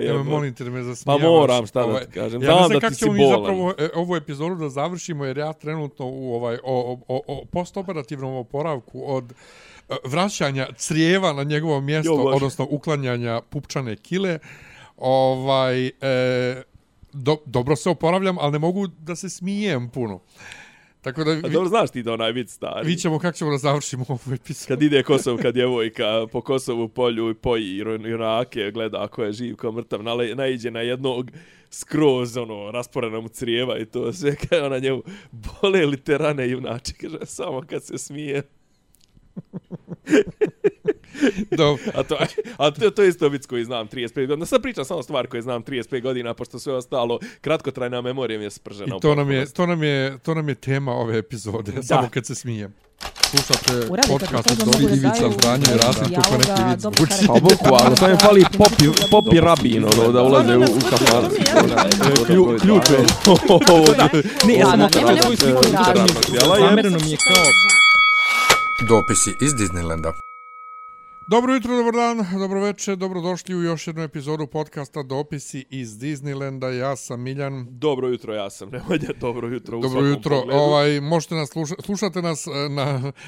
Ja molim te da me zasmijavaš. Pa moram, šta da ti kažem. Ja ne znam da kako ti si ćemo mi bolan. zapravo ovu epizodu da završimo, jer ja trenutno u o postoperativnom oporavku od vraćanja crijeva na njegovo mjesto, odnosno uklanjanja pupčane kile, dobro se oporavljam, ali ne mogu da se smijem puno. Tako da dobro, znaš ti da onaj vid stari. Vidjet ćemo kako ćemo da završimo ovu epizodu. Kad ide Kosovka djevojka po Kosovu polju i poji junake, gleda ako je živ, ko mrtav, naiđe na jednog skroz, rasporena mu crijeva i to sve, kada ona njemu bole li te rane junače, kaže, samo kad se smije. A to je isto vic koji znam 35 godina. Sad pričam samo stvar koje znam 35 godina, pošto sve ostalo kratkotrajna memorija mi je spržena. I to nam je tema ove epizode, da. Samo kad se smijem. Slušate podcast od Dobri Ivica Zdanje i Rasim, kako neki vid zvuči. Pa bukvalno, to je fali popi rabin, da ulaze u kafan. Ključ je. Ne, ja sam okrenuo koji sliku zamereno mi je kao... Dopisi iz Disneylanda. Dobro jutro, dobar dan, dobro večer, dobrodošli u još jednu epizodu podcasta Dopisi iz Disneylanda. Ja sam Miljan. Dobro jutro, ja sam Nemanja. Dobro jutro u dobro jutro. Možete nas slušate nas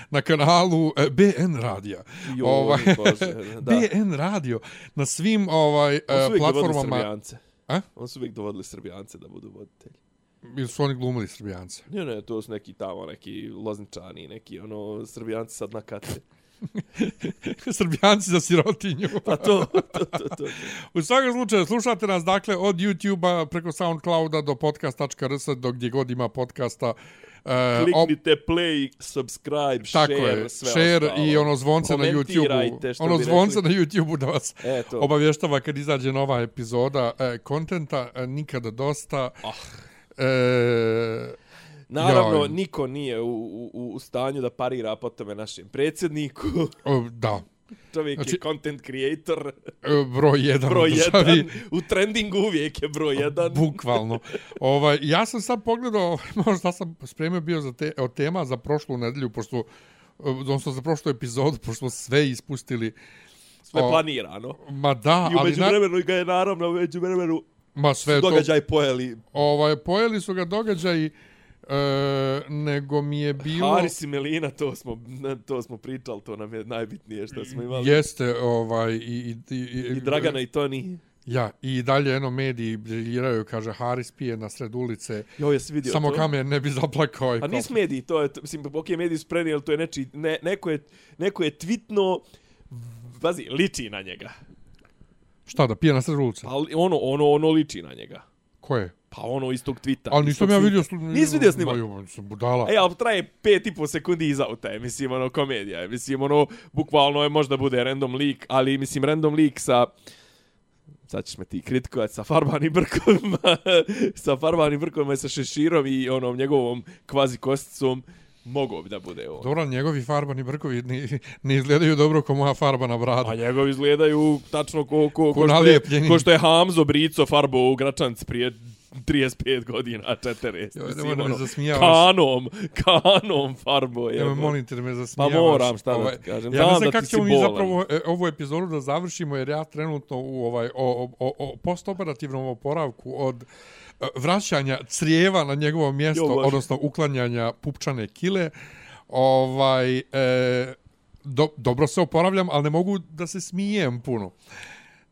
na kanalu BN Radija. BN Radio na svim platformama. On su uvijek dovodili Srbijance da budu voditelji. Ili su oni glumili Srbijance? Ne, to su neki tamo, neki Lozničani, neki Srbijanci sad na kate. Srbijanci za sirotinju. Pa to. U svakom slučaju, slušate nas dakle od YouTube-a preko SoundClouda do podcast.rs, do gdje god ima podcasta. Kliknite play, subscribe, share, sve share ostalo. I zvonce na YouTube-u. Zvonce na YouTube-u da vas obavještava kad izađe nova epizoda kontenta, nikada dosta. Naravno, niko nije u stanju da parira po tome našem predsjedniku. Da. Čovjek je content creator. Broj 1. U trendingu uvijek je broj 1. Bukvalno. Ja sam sad pogledao, možda sam spremio bio za tema za prošlu nedelju, odnosno za prošlu epizodu, pošto smo sve ispustili. Sve planirano. Ma da, i u međuvremenu ga je naravno u međuvremenu događaj pojeli. Pojeli su ga događaji, nego mi je bilo... Haris i Melina, to smo pričali, to nam je najbitnije što smo imali. Jeste, i Dragana i Toni. Ja, i dalje mediji briljiraju, kaže, Haris pije na sred ulice. Jesi vidio samo to? Kamen ne bi zaplakao. A nisu mediji, to je, mislim, mediji su prenijeli, to je neko je tvitno, pazi, liči na njega. Šta, da pije na sred ulice? Ali ono liči na njega. Ko je? Pa istog tvita. Ali nisam ja vidio... Nisi vidio snimak? Sam budala. Ali traje 5,5 sekundi iz auta je, mislim, komedija je. Mislim, bukvalno je, možda bude random leak, ali, mislim, random leak sa... Sad ćeš me ti kritikovati sa farbanim brkovima i sa šeširom i njegovom kvazi kosticom. Mogao bi da bude ovo. Dobro, njegovi farbani brkovi ne izgledaju dobro kao moja farba na bradu. A njegovi izgledaju tačno ko što je Hamzo Brico farbo u Gračanci prije 35 godina, 40. Kanom farbo. Ja molim te da me zasmijavaš. Pa moram, šta da ti kažem. Ja ne znam kako ćemo mi zapravo ovu epizodu da završimo, jer ja trenutno u o postoperativnom oporavku od vraćanja crijeva na njegovo mjesto, odnosno uklanjanja pupčane kile, dobro se oporavljam, ali ne mogu da se smijem puno.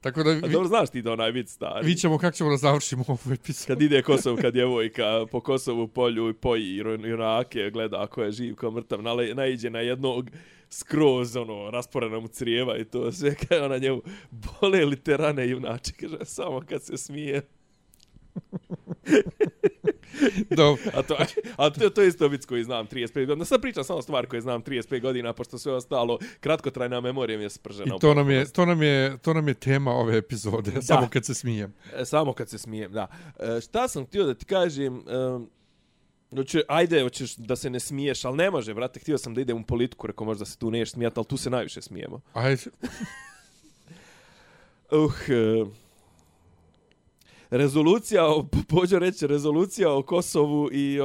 Tako da dobro, znaš ti da onaj vid stari. Vidjet ćemo kako ćemo da završimo ovu epizodu. Kad ide Kosovka djevojka po Kosovu polju i poji junake, gleda ako je živ, ko mrtav, naiđe na jednog skroz, rasporena mu crijeva i to sve, kada ona njemu bole li te rane junače, kaže, samo kad se smije. A to je isto vic koji znam 35 godina. Sad pričam samo stvar koje znam 35 godina, pošto sve ostalo kratkotrajna memorija mi je spržena. I to nam je tema ove epizode, da. Samo kad se smijem. Samo kad se smijem, da. Šta sam htio da ti kažem... hoćeš da se ne smiješ, ali ne može, brate, htio sam da idem u politiku, rekao možda se tu neš smijati, ali tu se najviše smijemo. Ajde. Rezolucija o Kosovu i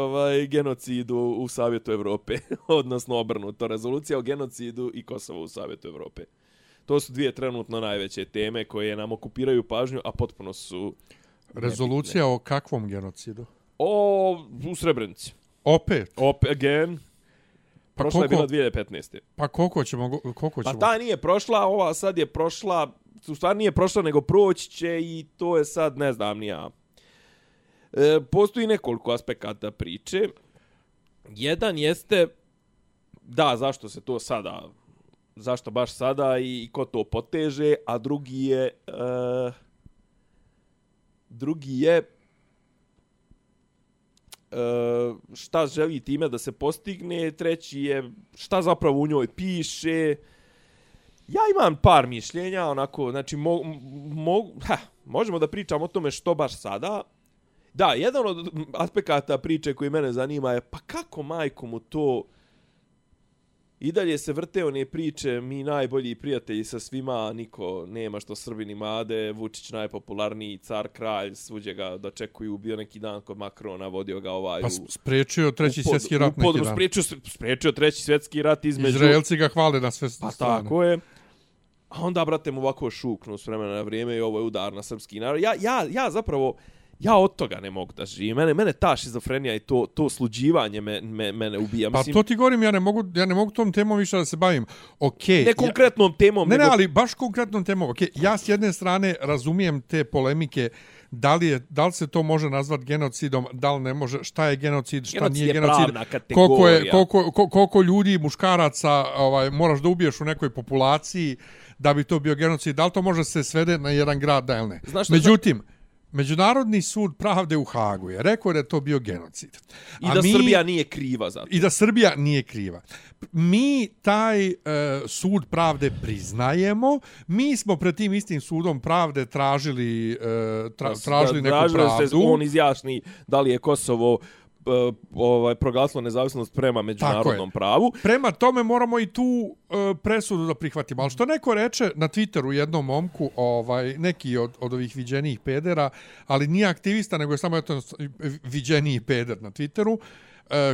genocidu u Savjetu Evrope, odnosno obrnuto, rezolucija o genocidu i Kosovu u Savjetu Evrope. To su dvije trenutno najveće teme koje nam okupiraju pažnju, a potpuno su... Rezolucija nebitne. O kakvom genocidu? U Srebrenici. Opet? Again. Pa prošla je bila 2015. Pa koliko ćemo? Pa ta nije prošla, ova sad je prošla, u stvari nije prošla nego proći će i to je sad, ne znam ni ja. Postoji nekoliko aspekata priče. Jedan jeste, da, zašto se to sada, zašto baš sada i ko to poteže, a drugi je šta želi time da se postigne, treći je šta zapravo u njoj piše. Ja imam par mišljenja, onako, znači možemo da pričamo o tome što baš sada. Da, jedan od aspekata priče koji mene zanima je pa kako majku mu to i dalje se vrte one priče, mi najbolji prijatelji sa svima, niko nema što Srbini made, Vučić najpopularniji, car, kralj, svuđe ga dočekuju, bio neki dan kod Makrona, vodio ga ovaj... Pa spriječio treći svjetski rat neki dan. Spriječio treći svjetski rat između... Izraelci ga hvale na sve strane. Pa tako je. A onda, brate, mu ovako šuknu s vremena na vrijeme i ovo je udar na srpski narod. Ja zapravo... Ja od toga ne mogu da živim. Mene ta šizofrenija i to sluđivanje mene ubija. Pa to ti govorim, ja ne mogu tom temom više da se bavim. Okay, ne konkretnom temom. Ne, ali baš konkretnom temom. Okay, ja s jedne strane razumijem te polemike, da li se to može nazvati genocidom, da li ne može, šta je genocid, šta nije genocid. Koliko ljudi, muškaraca moraš da ubiješ u nekoj populaciji da bi to bio genocid. Da li to može se svede na jedan grad, da ili ne? Međutim, Međunarodni sud pravde u Hagu je rekao da je to bio genocid. I da Srbija nije kriva za to. I da Srbija nije kriva. Mi taj sud pravde priznajemo. Mi smo pred tim istim sudom pravde tražili neku pravdu. Se on izjasni da li je Kosovo proglasilo nezavisnost prema međunarodnom pravu. Prema tome moramo i tu presudu da prihvatimo. Ali što neko reče na Twitteru jednom momku, neki od ovih viđenijih pedera, ali nije aktivista, nego je samo viđeniji peder na Twitteru,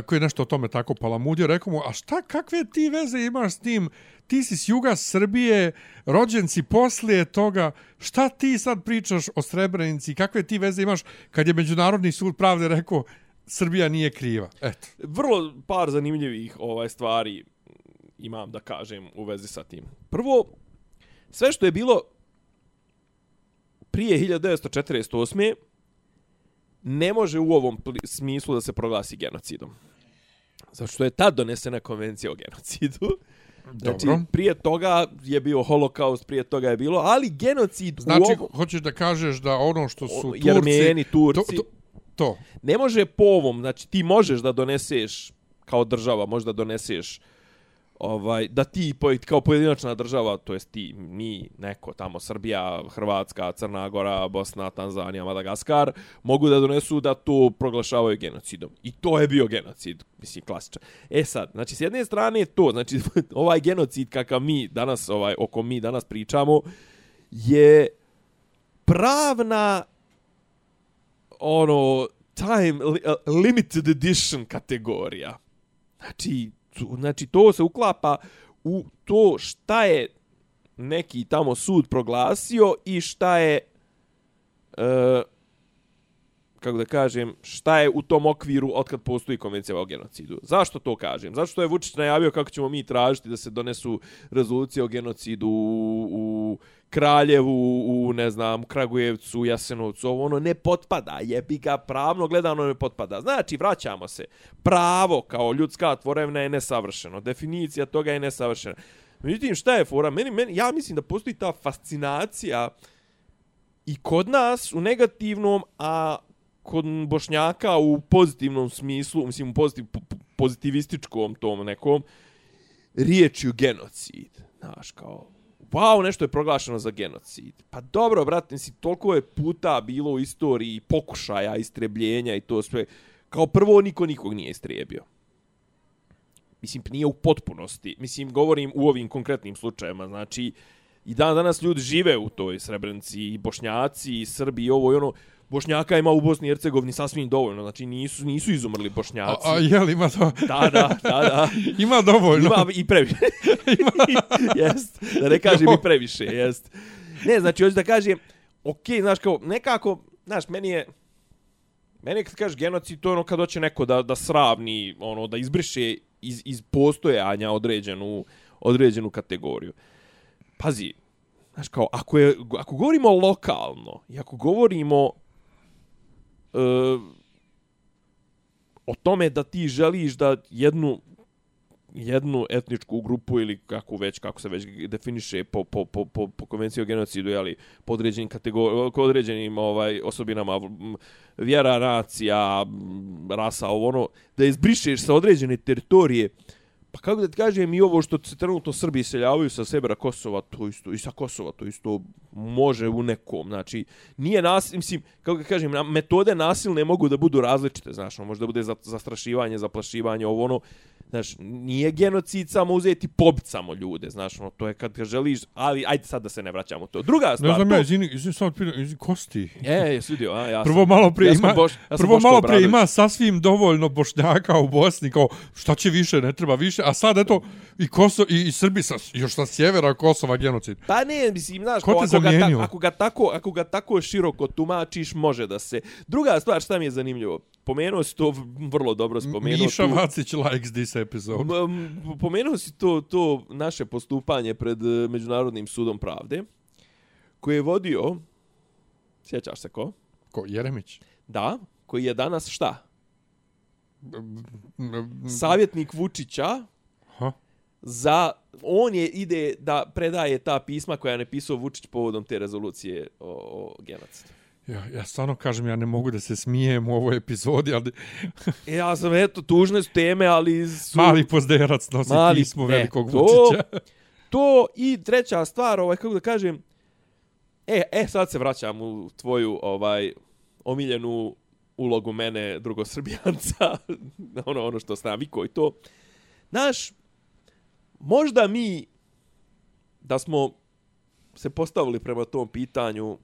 koji je nešto o tome tako palamudio, rekao mu, a kakve ti veze imaš s tim? Ti si s juga Srbije, rođen si poslije toga, šta ti sad pričaš o Srebrenici? Kakve ti veze imaš kad je Međunarodni sud pravde rekao Srbija nije kriva? Eto. Vrlo par zanimljivih stvari imam da kažem u vezi sa tim. Prvo, sve što je bilo prije 1948. ne može u ovom smislu da se proglasi genocidom. Zato što je tad donesena konvencija o genocidu. Znači, prije toga je bio holokaust, prije toga je bilo, ali genocid znači, hoćeš da kažeš da ono što su Turci... Jermeni, Turci... To. Ne može po ovom, znači ti možeš da doneseš, kao država, možeš da doneseš, da ti kao pojedinačna država, to jest ti, mi, neko tamo, Srbija, Hrvatska, Crna Gora, Bosna, Tanzanija, Madagaskar, mogu da donesu da to proglašavaju genocidom. I to je bio genocid, mislim, klasičan. Sad, znači, s jedne strane to, znači, ovaj genocid kakav mi danas, o kom mi danas pričamo, je pravna time limited edition kategorija. Znači to se uklapa u to šta je neki tamo sud proglasio i šta je kako da kažem, šta je u tom okviru otkad postoji konvencija o genocidu. Zašto to kažem? Zato što je Vučić najavio kako ćemo mi tražiti da se donesu rezolucije o genocidu u Kraljevu, u ne znam, Kragujevcu, Jasenovcu, ne potpada, jebi ga, pravno gledano ne potpada. Znači, vraćamo se. Pravo kao ljudska tvorevina je nesavršeno. Definicija toga je nesavršena. Međutim, šta je fora? Ja mislim da postoji ta fascinacija i kod nas u negativnom, a kod Bošnjaka u pozitivnom smislu, mislim u pozitivističkom tom nekom, riječju genocid. Znaš, kao, wow, nešto je proglašeno za genocid. Pa dobro, brate, mislim, toliko je puta bilo u istoriji pokušaja, istrebljenja i to sve. Kao prvo, niko nikog nije istrijebio. Mislim, nije u potpunosti. Mislim, govorim u ovim konkretnim slučajima. Znači, i danas ljudi žive u toj Srebrenici, i Bošnjaci, i Srbi, i ovo i ono. Bošnjaka ima u Bosni i Hercegovini sasvim dovoljno, znači nisu izumrli Bošnjaci. A jel ima to? Da. Ima dovoljno. Ima i previše. Jest. Da ne kažem i previše, jest. Ne, znači hoću da kažem, okej, znaš kao, nekako, znaš, meni kad kažeš genocid, to je ono kad hoće neko da sravni, ono, da izbriše iz postojanja određenu kategoriju. Pazi, znaš kao, ako govorimo lokalno i ako govorimo o tome da ti želiš da jednu etničku grupu ili kako se već definiše po konvenciji o genocidu, jeli, po određenim osobinama vjera, nacija, rasa, ono, da izbrišeš sa određene teritorije. Pa kako da ti kažem, i ovo što se trenutno Srbi iseljavaju sa Severa Kosova, to isto, i sa Kosova, to isto može u nekom. Znači, nije mislim, kako da kažem, metode nasilne mogu da budu različite, znaš, može da bude zastrašivanje, zaplašivanje, ovo ono, znaš, nije genocid samo uzeti pobit samo ljude, znaš, ono, to je kad ga želiš, ali ajde sad da se ne vraćamo to. Druga stvar... Ne znam, izvini, samo Kosti. Jesi vidio, ja prvo malo prije ima sasvim dovoljno Bošnjaka u Bosni, kao šta će više, ne treba više, a sad eto i Srbi još sa sjevera Kosova genocid. Pa ne, mislim, znaš, ako ga tako široko tumačiš, može da se... Druga stvar, šta mi je zanimljivo, pomenuo si to vrlo dobro spomenuo. Miša Vacić likes this episode. Pomenuo si to naše postupanje pred Međunarodnim sudom pravde, koji je vodio, sjećaš se ko? Ko, Jeremić? Da, koji je danas šta? Savjetnik Vučića. On ide da predaje ta pisma koja je napisao Vučić povodom te rezolucije o genocidu. Ja stvarno kažem, ja ne mogu da se smijem u ovoj epizodi, ali... Ja sam, eto, tužne su teme, ali su... Mali pozderac nosi pismo velikog Vučića. To i treća stvar, kako da kažem... sad se vraćam u tvoju, omiljenu ulogu mene, drugosrbijanca, ono što sam navikao i to. Znaš, možda mi, da smo se postavili prema tom pitanju,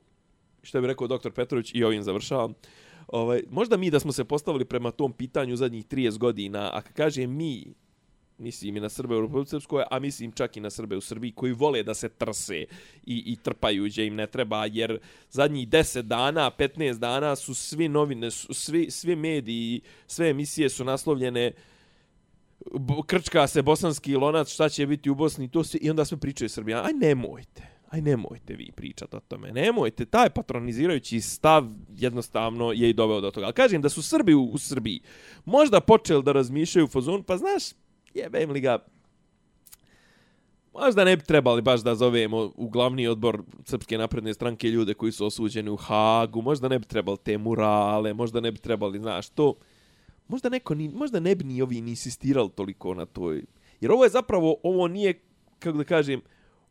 što bi rekao dr. Petrović, i ovim završavam, možda mi da smo se postavili prema tom pitanju zadnjih 30 godina, a kad kažem mi, mislim i na Srbe u Republici Srpskoj, a mislim čak i na Srbe u Srbiji, koji vole da se trse i trpaju gdje im ne treba, jer zadnjih 10 dana, 15 dana su svi novine, svi mediji, sve emisije su naslovljene krčka se bosanski lonac, šta će biti u Bosni, to sve, i onda sve pričaju Srbija. Aj nemojte vi pričati o tome. Nemojte, taj patronizirajući stav jednostavno je i doveo do toga. Ali kažem da su Srbi u Srbiji možda počeli da razmišljaju u fazonu, pa znaš, jebem li ga, možda ne bi trebali baš da zovemo u glavni odbor Srpske napredne stranke ljude koji su osuđeni u Hagu, možda ne bi trebali te murale, možda ne bi trebali, znaš, to... Možda ne bi ni ovi insistirali toliko na toj... Jer ovo je zapravo, ovo nije, kako da kažem,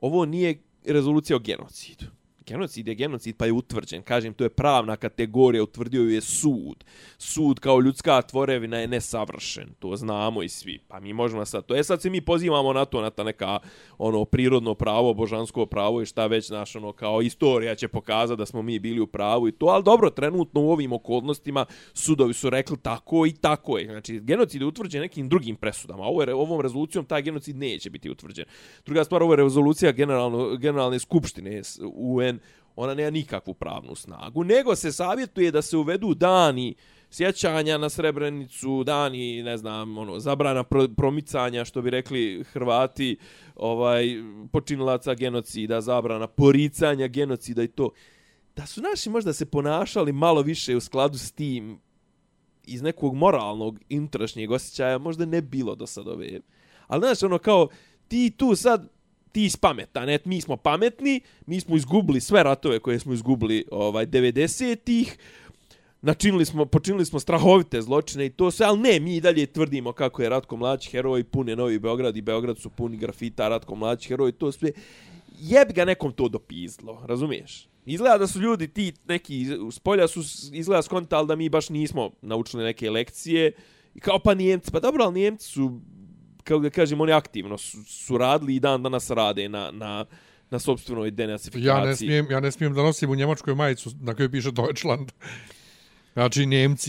ovo nije rezolucija o genocidu. Genocid je genocid, pa je utvrđen. Kažem, to je pravna kategorija, utvrdio ju je sud. Sud kao ljudska tvorevina je nesavršen. To znamo i svi. Pa mi možemo sad to. Sad se mi pozivamo na to, na ta neka prirodno pravo, božansko pravo i šta već, znaš, kao istorija će pokazati da smo mi bili u pravu i to. Ali dobro, trenutno u ovim okolnostima sudovi su rekli tako i tako je. Znači, genocid je utvrđen nekim drugim presudama. Ovom rezolucijom taj genocid neće biti utvrđen. Druga stvar, ovo je rezolucija generalne skupštine UN, ona nema nikakvu pravnu snagu, nego se savjetuje da se uvedu dani sjećanja na Srebrenicu, dani, ne znam, zabrana promicanja, što bi rekli Hrvati, počinilaca genocida, zabrana poricanja genocida i to. Da su naši možda se ponašali malo više u skladu s tim iz nekog moralnog unutrašnjeg osjećaja, možda ne bilo do sad ove. Ali znaš, kao ti tu sad ti si pametan, mi smo pametni, mi smo izgubili sve ratove koje smo izgubili 90-ih, počinili smo strahovite zločine i to sve, ali ne, mi i dalje tvrdimo kako je Ratko Mladić heroj, pun je Novi Beograd i Beograd su puni grafita, Ratko Mladić heroj, to sve, jebi ga nekom to dopizlo, razumiješ? Izgleda da su ljudi ti neki s polja su izgleda skontali da mi baš nismo naučili neke lekcije i kao pa Nijemci, pa dobro, ali Nijemci su, kako da kažem, oni aktivno su radili i dan danas rade na sopstvenoj denacifikaciji. Ja ne smijem da nosim u Njemačkoj majicu na kojoj piše Deutschland. Znači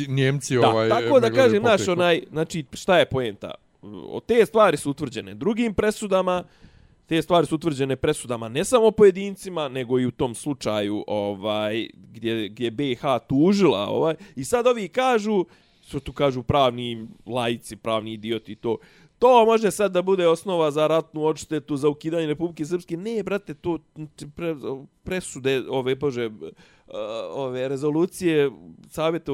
Njemci da, tako da kažem, znači šta je poenta? Te stvari su utvrđene drugim presudama, te stvari su utvrđene presudama ne samo pojedincima, nego i u tom slučaju gdje BiH tužila i sad ovi kažu, što tu kažu pravni laici, pravni idioti, to može sad da bude osnova za ratnu odštetu, za ukidanje Republike Srpske. Ne, brate, to presude ove rezolucije Savjeta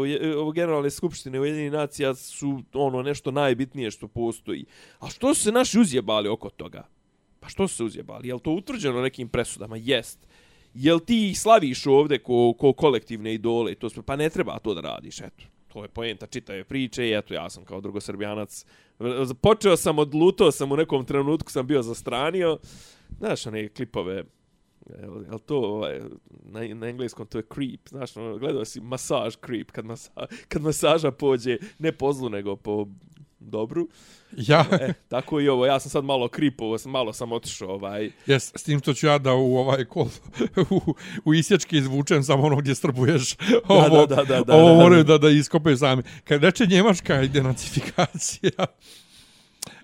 Generalne skupštine Ujedinjenih nacija su nešto najbitnije što postoji. A što su se naši uzjebali oko toga? Pa što su se uzjebali? Je li to utvrđeno nekim presudama? Jest. Jel ti slaviš ovdje ko kolektivne idole i to sve? Pa ne treba to da radiš, eto. To je poenta čitave priče i eto ja sam kao drugosrbijanac počeo sam odlutao sam u nekom trenutku sam bio zastranio. Znaš one klipove, jel to na engleskom to je creep, znaš, gledao si masaž creep, kad masaža pođe ne po zlu nego po dobru. Ja. Tako i ovo, ja sam sad malo kripovo, malo sam otišao Jes, s tim što ću ja da u isječki izvučem samo ono gdje strbuješ. Ovo moraju da iskopaju sami. Kad reče Njemačka i denacifikacija,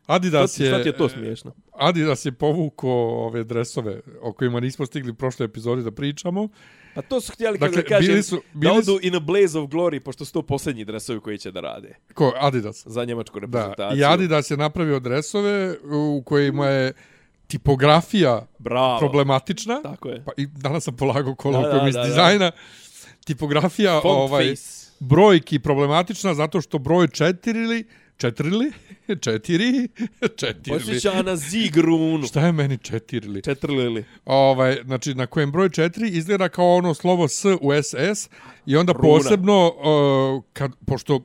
Adidas je... Šta ti je to smiješno? Adidas je povukao ove dresove o kojima nismo stigli u prošloj epizodi da pričamo. Pa to su htjeli kako da kažem, da odu in a blaze of glory, pošto su to posljednji dresovi koji će da rade. Ko? Adidas? Za njemačku reprezentaciju. Da, i Adidas je napravio dresove u kojima je tipografija problematična. Tako je. Pa i danas sam polagao kolokvijum iz dizajna. Tipografija brojki problematična zato što broj 4 Posjeća na Zigrunu. Šta je meni 4? 4. Znači, na kojem broj 4 izgleda kao ono slovo S u SS i onda posebno, pošto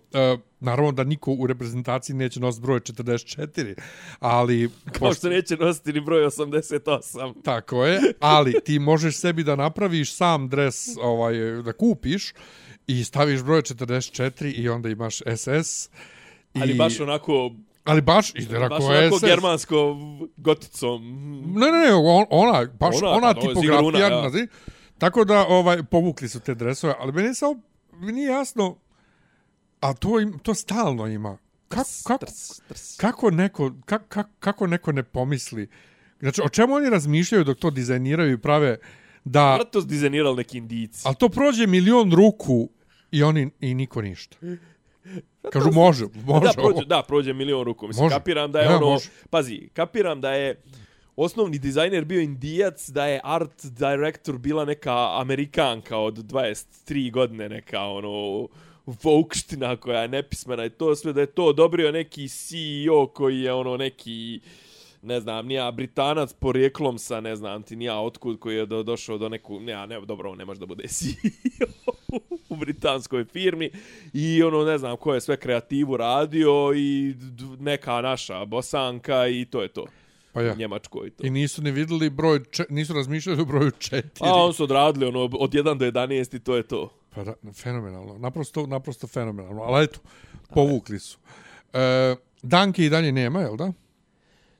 naravno da niko u reprezentaciji neće nositi broj 44, ali... Kao što neće nositi ni broj 88. Tako je, ali ti možeš sebi da napraviš sam dres, da kupiš i staviš broj 44 i onda imaš SS. Ali baš onako... Ali baš izgleda kao onako SS. Germansko goticom. Ne, ona tipografija. Ja. Tako da povukli su te dresove, ali meni nije jasno, a to stalno ima. Kako neko ne pomisli? Znači, o čemu oni razmišljaju dok to dizajniraju i prave da... Vrlo to dizajnirali neki Indici. Ali to prođe 1.000.000 ruku i niko ništa. Kažu može. Prođe 1.000.000 ruku. Mislim, može. Kapiram da je pazi, kapiram da je osnovni dizajner bio Indijac, da je art director bila neka Amerikanka od 23 godine, neka vokština koja je nepismena i to sve, da je to odobrio neki CEO koji je neki, ne znam, nija Britanac porijeklom sa, ne znam ti nija otkud, koji je došao do neku, dobro, ne može da bude CEO u britanskoj firmi i ne znam ko je sve kreativu radio i neka naša Bosanka i to je to. Pa ja. Njemačkoj to. I nisu ni vidjeli nisu razmišljali o broju 4. A on su odradili od 1 do 11 i to je to. Pa da, fenomenalno. Naprosto fenomenalno. Ali eto, povukli su. Danke i dalje nema, jel da?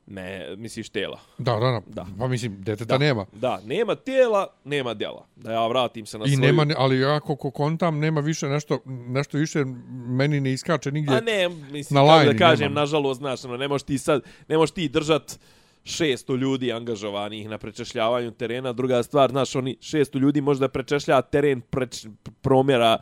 Ne, misliš tela. Da. Pa mislim, deteta nema. Da, nema tela, nema djela. Da ja vratim se na svoju... Nema, ali ja kako kontam, nema više nešto više meni ne iskače nigdje. A ne, mislim, kako da kažem, nažalost, znaš, ne možeš ti držat 600 ljudi angažovanih na prečešljavanju terena. Druga stvar, znaš, oni 600 ljudi možda prečešlja teren promjera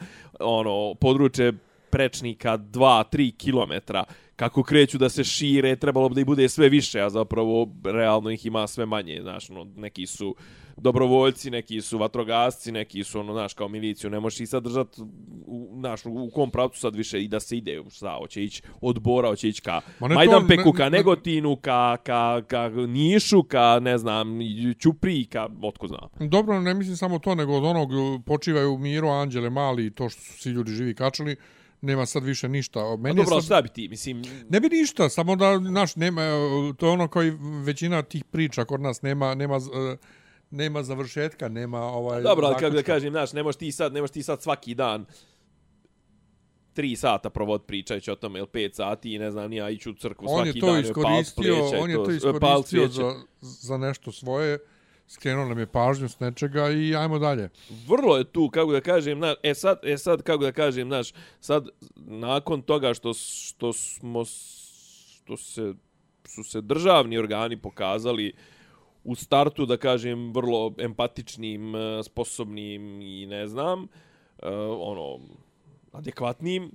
područje prečnika 2-3 kilometra. Kako kreću da se šire, trebalo bi da ih bude sve više, a zapravo realno ih ima sve manje, znaš, neki su dobrovoljci, neki su vatrogasci, neki su, znaš, kao miliciju, ne možeš ih sad držati, u kom pravcu sad više i da se ide, hoće ići od Bora, hoće ići ka Majdanpeku, ka Negotinu, ka Nišu, ka, ne znam, Ćupriji, ka, otko znam. Dobro, ne mislim samo to, nego od onog počivaju Miro, Anđele, Mali i to što su svi ljudi živi kačali, nema sad više ništa. Meni dobro, šta bi ti, mislim... Ne bi ništa, samo da, nema, to je ono koji većina tih priča kod nas nema završetka, nema dobro, ali kako da kažem, znaš, ne možeš ti sad svaki dan 3 sata provod pričajući o tome, ili 5 sati i ne znam, nija ići u crkvu svaki dan. On je to iskoristio za nešto svoje, skrenuo nam je pažnju s nečega i ajmo dalje. Vrlo je tu, kako da kažem, sad kako da kažem, sad nakon toga što su se državni organi pokazali u startu, da kažem, vrlo empatičnim, sposobnim i ne znam, adekvatnim,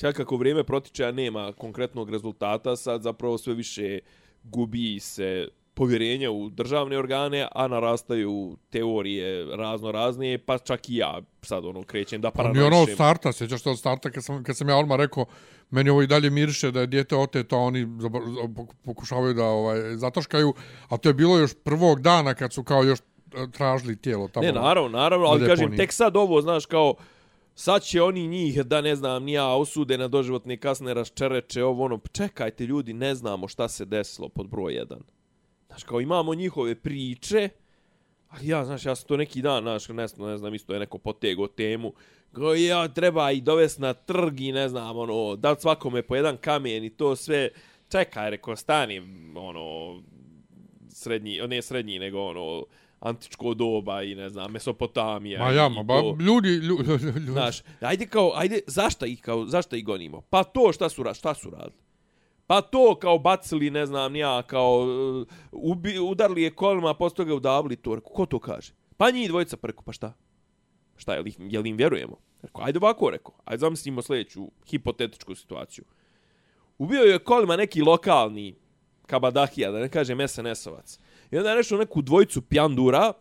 kako vrijeme protiče, a nema konkretnog rezultata, sad zapravo sve više gubi se povjerenja u državne organe, a narastaju teorije razne, pa čak i ja sad krećem da paranoišem. Ni ono od starta, sjećaš se od starta kad sam ja odmah rekao, meni ovo i dalje miriše da je dijete oteto, oni pokušavaju da zataškaju, a to je bilo još prvog dana kad su kao još tražili tijelo tamo. Ne, naravno, ali kažem, tek sad ovo, znaš, kao sad će oni njih, da ne znam, ni ja, osude na doživotne kasne raščereče, čekajte ljudi, ne znamo šta se desilo pod broj 1. Znaš, kao imamo njihove priče, ali ja sam to neki dan, znaš, ne znam, isto je neko potego temu, kao ja treba i dovesti na trg i ne znam, dat svakome po jedan kamen i to sve, čekaj, reko, stani, srednji, nego antičko doba i ne znam, Mesopotamija. Ljudi. Znaš, ajde, zašto ih gonimo? Pa to šta su radili? Pa to kao bacili, ne znam, kao udarli je kolima, posto toga udavili to. Ko to kaže? Pa njih dvojica preko, pa šta? Šta, jel im vjerujemo? Ajde ovako, ajde zamislimo sljedeću hipotetičku situaciju. Ubio je kolima neki lokalni kabadahija, da ne kažem SNS-ovac. I onda je nešto neku dvojicu pjandura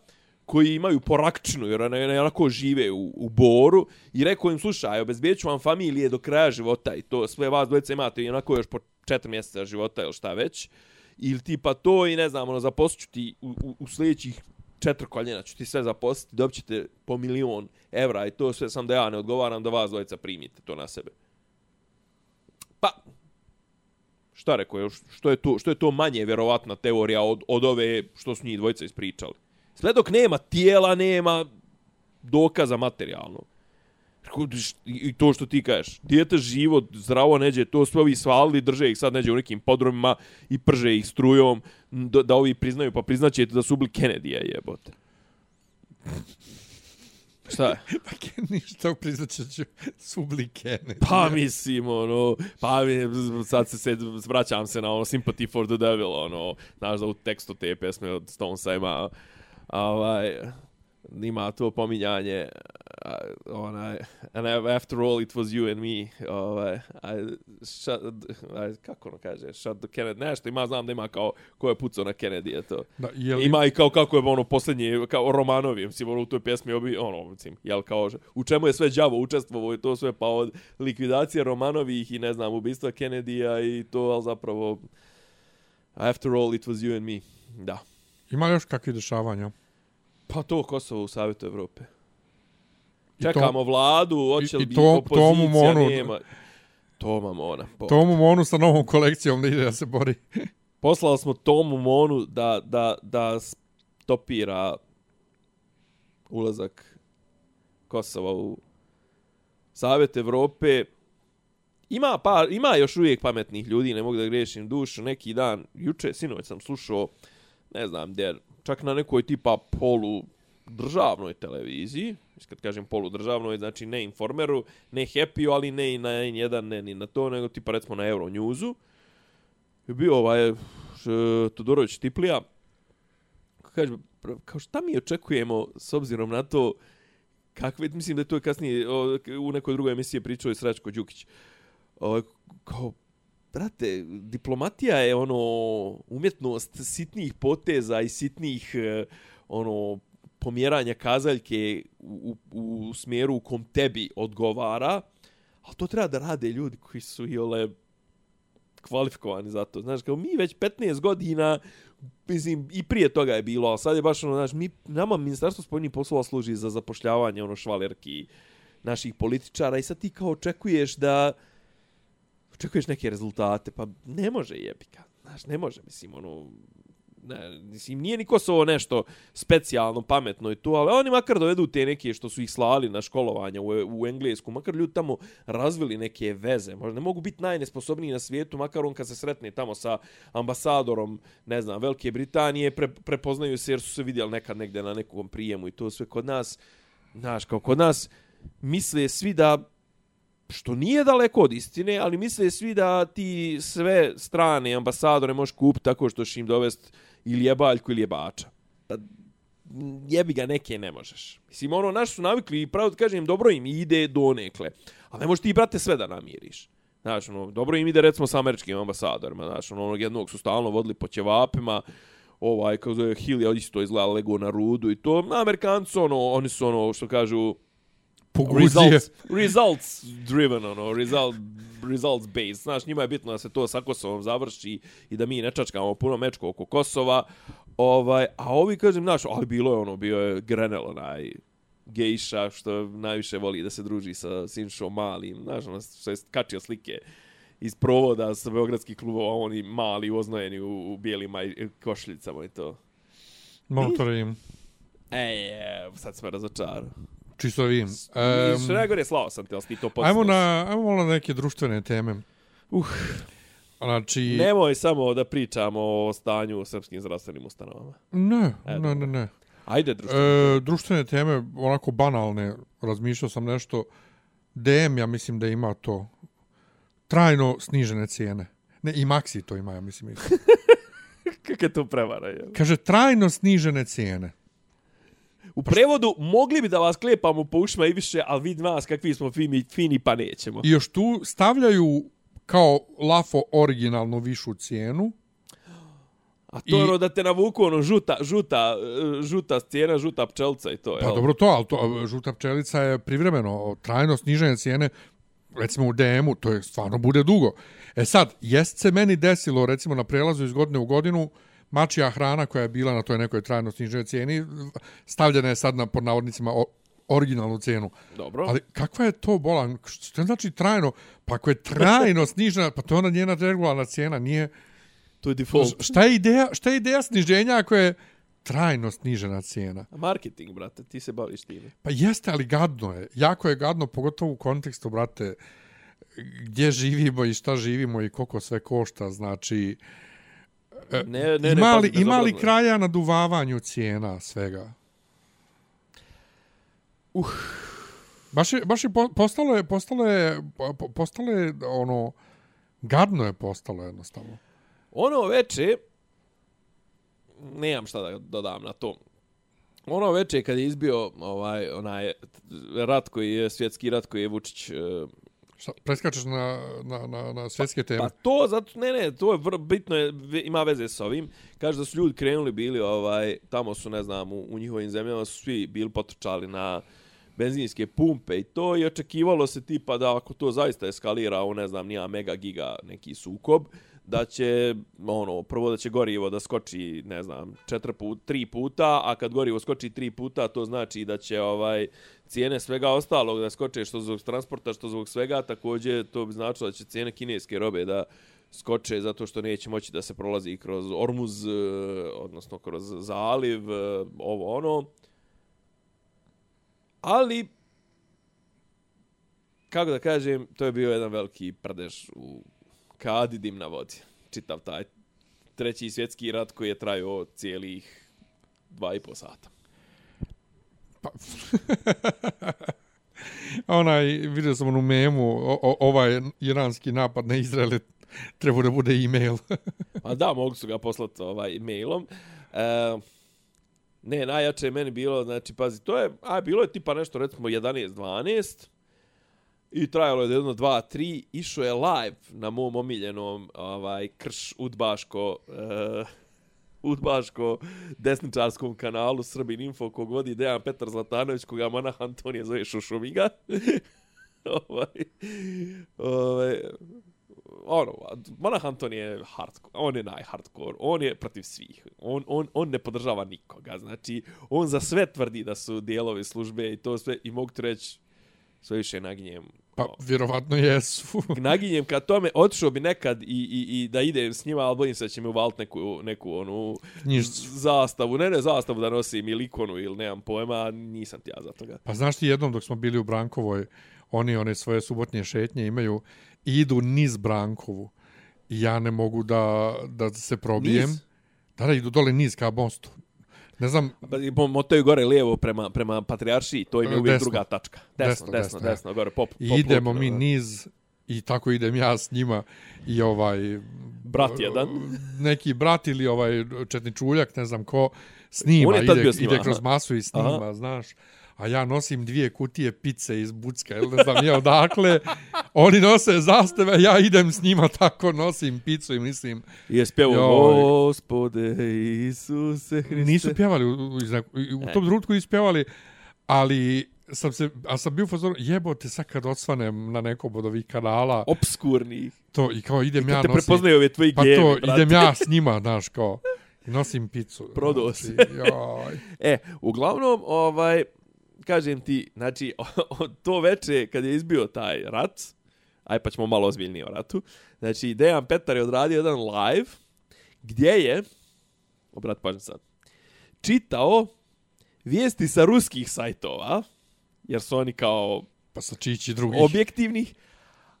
koji imaju porakčinu, jer onako žive u Boru, i rekao im, slušaj, obezbijedit ću vam familije do kraja života i to sve vas dvojice imate i onako još po 4 mjeseca života ili šta već, ili tipa to i ne znam, zaposlit ću ti u sljedećih 4 koljena, ću ti sve zaposliti, dobit ćete po 1.000.000 evra i to sve, sam da ja ne odgovaram da vas dvojica primite to na sebe. Pa, šta rekao, što je to manje vjerovatna teorija od ove što su njih dvojica ispričali. Sve dok nema tijela, nema dokaza materijalnog. I to što ti kažeš, dijete živo, zdravo neđe, to sve ovi svalili, drže ih sad neđe u nekim podrumima i prže ih strujom, da ovi priznaju, pa priznaćete da su ubili Kennedyja, jebote. Šta je? Pa ništa, priznaću su ubili Kennedy. Pa mislim, sad vraćam se na Sympathy for the Devil, znaš da u tekstu te pesme od Stonesa ima to pominjanje, and after all it was you and me, kako kaže, shut the Kennedy, nešto ima, znam da ima kao ko je pucao na Kennedy, to. Da, ima i kao kako je posljednji, kao Romanovi, mislim, u toj pjesmi, mislim, jel kao, u čemu je sve đavo učestvovao i to sve, pa od likvidacije Romanovih i ne znam, ubistva Kennedyja i to, ali zapravo, after all it was you and me, da. Ima još kakvi dešavanja? Pa to Kosovo u Savjetu Evrope. Čekamo vladu, hoće li biti opozicija, nema. Toma Mona. Tomu Monu sa novom kolekcijom da ide da se bori. Poslali smo Tomu Monu da stopira ulazak Kosova u Savjet Evrope. Ima još uvijek pametnih ljudi, ne mogu da grešim dušu. Neki dan, sinoć sam slušao, ne znam, čak na nekoj tipa poludržavnoj televiziji, kad kažem poludržavnoj, znači ne Informeru, ne Happy, ali ne i na N1, ne ni na to, nego tipa recimo na Euronewsu. Je bio Todorović Tiplija, kaže, kao šta mi očekujemo s obzirom na to, mislim da je to kasnije u nekoj drugoj emisiji pričao i Srećko Đukić, kao, brate, diplomatija je umjetnost sitnih poteza i sitnih pomjeranja kazaljke u smjeru u kom tebi odgovara, ali to treba da rade ljudi koji su kvalifikovani za to. Znaš, kao mi već 15 godina, mislim, i prije toga je bilo, ali sad je baš znaš, nama Ministarstvo spoljnih poslova služi za zapošljavanje švalerki naših političara i sad ti kao očekuješ neke rezultate, pa ne može jebika. Znaš, ne može, mislim, mislim, nije ni Kosovo nešto specijalno pametno i to, ali oni makar dovedu te neke što su ih slali na školovanje u Englesku, makar ljudi tamo razvili neke veze, možda ne mogu biti najnesposobniji na svijetu, makar on kad se sretne tamo sa ambasadorom, ne znam, Velike Britanije, prepoznaju se jer su se vidjeli nekad negdje na nekom prijemu i to sve kod nas, znaš, kao kod nas misle svi da, što nije daleko od istine, ali misle svi da ti sve strane ambasadore možeš kupiti tako što ćeš im dovesti ili jebaljku ili jebača. Da jebi ga neke ne možeš. Mislim, ono, naši su navikli i pravo da kažem, dobro im ide donekle. Ali ne možeš ti, brate, sve da namiriš. Znaš, ono, dobro im ide recimo sa američkim ambasadorima. Znaš, ono, onog jednog su stalno vodili po ćevapima, kao zove Hill je isto izgledala lego na rudu i to. Amerikanci, ono, oni su ono, što kažu, results driven, ono, results based. Znaš, njima je bitno da se to sa Kosovom završi i da mi ne čačkamo puno mečko oko Kosova. A ovi, kažem, znaš, ali bio je Grenell, onaj gejša, što najviše voli da se druži sa Sinšom Malim. Znaš, ono, što je kačio slike iz provoda sa beogradskih klubova, oni mali, oznojeni u bijelim košljicama i to. Motorim. Sad smo razočarali. Čisto vidim. Što najgore, slao sam te, ali ti to podsnoš. Ajmo na neke društvene teme. Znači... Nemoj samo da pričamo o stanju u srpskim zdravstvenim ustanovama. Ne. Ajde, društvene teme, onako banalne, razmišljao sam nešto. DM, ja mislim da ima to. Trajno snižene cijene. Ne, i Maxi to ima, ja mislim. Kako je to prevara? Je? Kaže, trajno snižene cijene. U prevodu, mogli bi da vas klepamo po ušima i više, ali vidi nas kakvi smo fini pa nećemo. I još tu stavljaju kao lafo originalnu višu cijenu. A to je da te navuku ono žuta cijena, žuta pčelica i to. Pa dobro to, ali to, žuta pčelica je privremeno, trajno sniženje cijene, recimo u DM-u, to je stvarno bude dugo. Sad, jest se meni desilo, recimo na prelazu iz godine u godinu, mačija hrana koja je bila na toj nekoj trajno sniženoj cijeni, stavljena je sad pod navodnicima originalnu cijenu. Dobro. Ali kakva je to bolan? Što znači trajno? Pa ako je trajno snižena, pa to je ona njena regularna cijena, nije... To je default. Šta je ideja sniženja ako je trajno snižena cijena? Marketing, brate, ti se baviš time. Pa jeste, ali gadno je. Jako je gadno, pogotovo u kontekstu, brate, gdje živimo i šta živimo i koliko sve košta, znači... Ima li kraja na duvavanju cijena svega? Baš je postalo je ono, gadno je postalo jednostavno. Ono veče, nemam šta da dodam na to. Ono veče kad je izbio onaj rat koji je, svjetski rat koji je Vučić... Preskačeš na svjetske teme? Pa to, zato, to je bitno, ima veze s ovim. Kaže da su ljudi krenuli bili, tamo su, ne znam, u njihovim zemljama su svi bili potrčali na benzinske pumpe i to, i očekivalo se tipa da ako to zaista eskalira u, ne znam, nija mega giga neki sukob, da će, prvo da će gorivo da skoči, ne znam, 3 puta, a kad gorivo skoči 3 puta, to znači da će cijene svega ostalog da skoče, što zbog transporta, što zbog svega, također to bi značilo da će cijene kineske robe da skoče zato što neće moći da se prolazi kroz Ormuz, odnosno kroz zaliv, Ali, kako da kažem, to je bio jedan veliki prdež u kadi dim na vodi. Čitav taj treći svjetski rat koji je trajao cijelih 2,5 sata. Pa, vidio sam onu memu, ovaj iranski napad na Izrael treba da bude e-mail. A da, mogu su ga poslati e-mailom. Najjače je meni bilo, znači, pazi, to je, bilo je tipa nešto, recimo, 11-12, i trajalo je 1, 2, 3, išao je live na mom omiljenom krš udbaško desničarskom kanalu Srbin Info, kog vodi Dejan Petar Zlatanović, koga Monah Antonije zove Šušumiga. Monah Antonije je hardcore, on je najhardcore, on je protiv svih, on ne podržava nikoga, znači, on za sve tvrdi da su dijelovi službe i to sve, i mogu ti reći, sve više naginjem. Pa, vjerovatno jesu. Naginjem ka tome, otišao bi nekad i da idem s njima, ali bojim se da će mi uvaliti neku onu zastavu. Ne zastavu da nosim ili ikonu ili nemam pojma, nisam ti ja za toga. Pa znaš ti jednom dok smo bili u Brankovoj, oni one svoje subotnje šetnje imaju i idu niz Brankovu. I ja ne mogu da se probijem. Niz? Da, idu dole niz ka mostu. Ne znam... Motaju gore lijevo prema Patrijaršiji, to im je uvijek desno. Druga tačka. Desno, gore, pop. I idemo mi niz i tako idem ja s njima i brat jedan. Neki brat ili četničuljak, ne znam ko, snima, ide kroz masu i snima, aha. Znaš. A ja nosim 2 kutije pice iz Bucka, ili ne znam nije odakle. Oni nose zastave, ja idem s njima tako, nosim picu i mislim... I je spjevao, Gospode Isuse Hriste. Nisu pjevali, u tom trenutku ispjevali, ali sam bio fazon, jebote sad kad odsvanem na nekom od ovih kanala... Obskurni. To, i kao idem ja nosim... I kad te prepoznaju ove tvoji gemi, brate. Pa to, idem ja s njima, znaš, kao... I nosim picu. Prodao si. Uglavnom, kažem ti, znači, to veče kad je izbio taj rat, aj pa ćemo malo ozbiljnije o ratu, znači, Dejan Petar je odradio jedan live gdje je, obrat pažnju sad, čitao vijesti sa ruskih sajtova, jer su oni kao pa sa čići drugih objektivnih,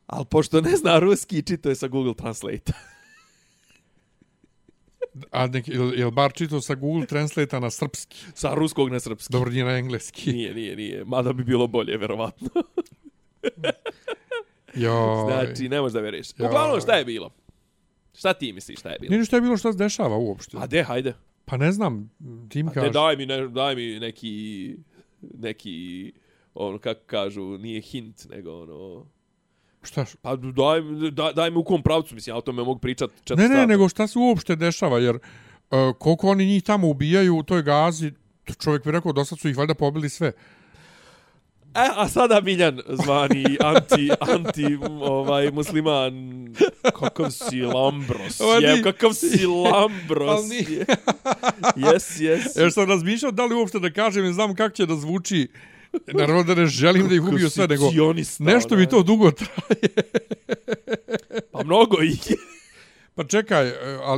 ali pošto ne zna ruski, čitao je sa Google Translate. A je li bar čitao sa Google Translate na srpski? Sa ruskog na srpski. Dobro, nije na engleski. Nije. Mada bi bilo bolje, verovatno. Znači, ne možeš da veriš. Uglavnom, šta je bilo? Šta ti misliš šta je bilo? Nije šta je bilo, šta se dešava uopšte. A hajde. Pa ne znam, ti mi kažeš. Daj mi neki, kako kažu, nije hint, nego Šta? Pa daj mi u kom pravcu, mislim, ja o tome mogu pričati 4 sata. Ne, nego šta se uopšte dešava, jer koliko oni njih tamo ubijaju u toj Gazi, čovjek bi rekao, dosad su ih valjda pobili sve. A sada Miljan zvani anti musliman, kakav si Lambros, kakav si Lambros. Yes. Jer sam razmišljao da li uopšte da kažem, ne znam kako će da zvuči. Naravno da ne želim da ih ubiju sve, nego nešto mi to dugo traje. Pa mnogo ih je. Pa čekaj,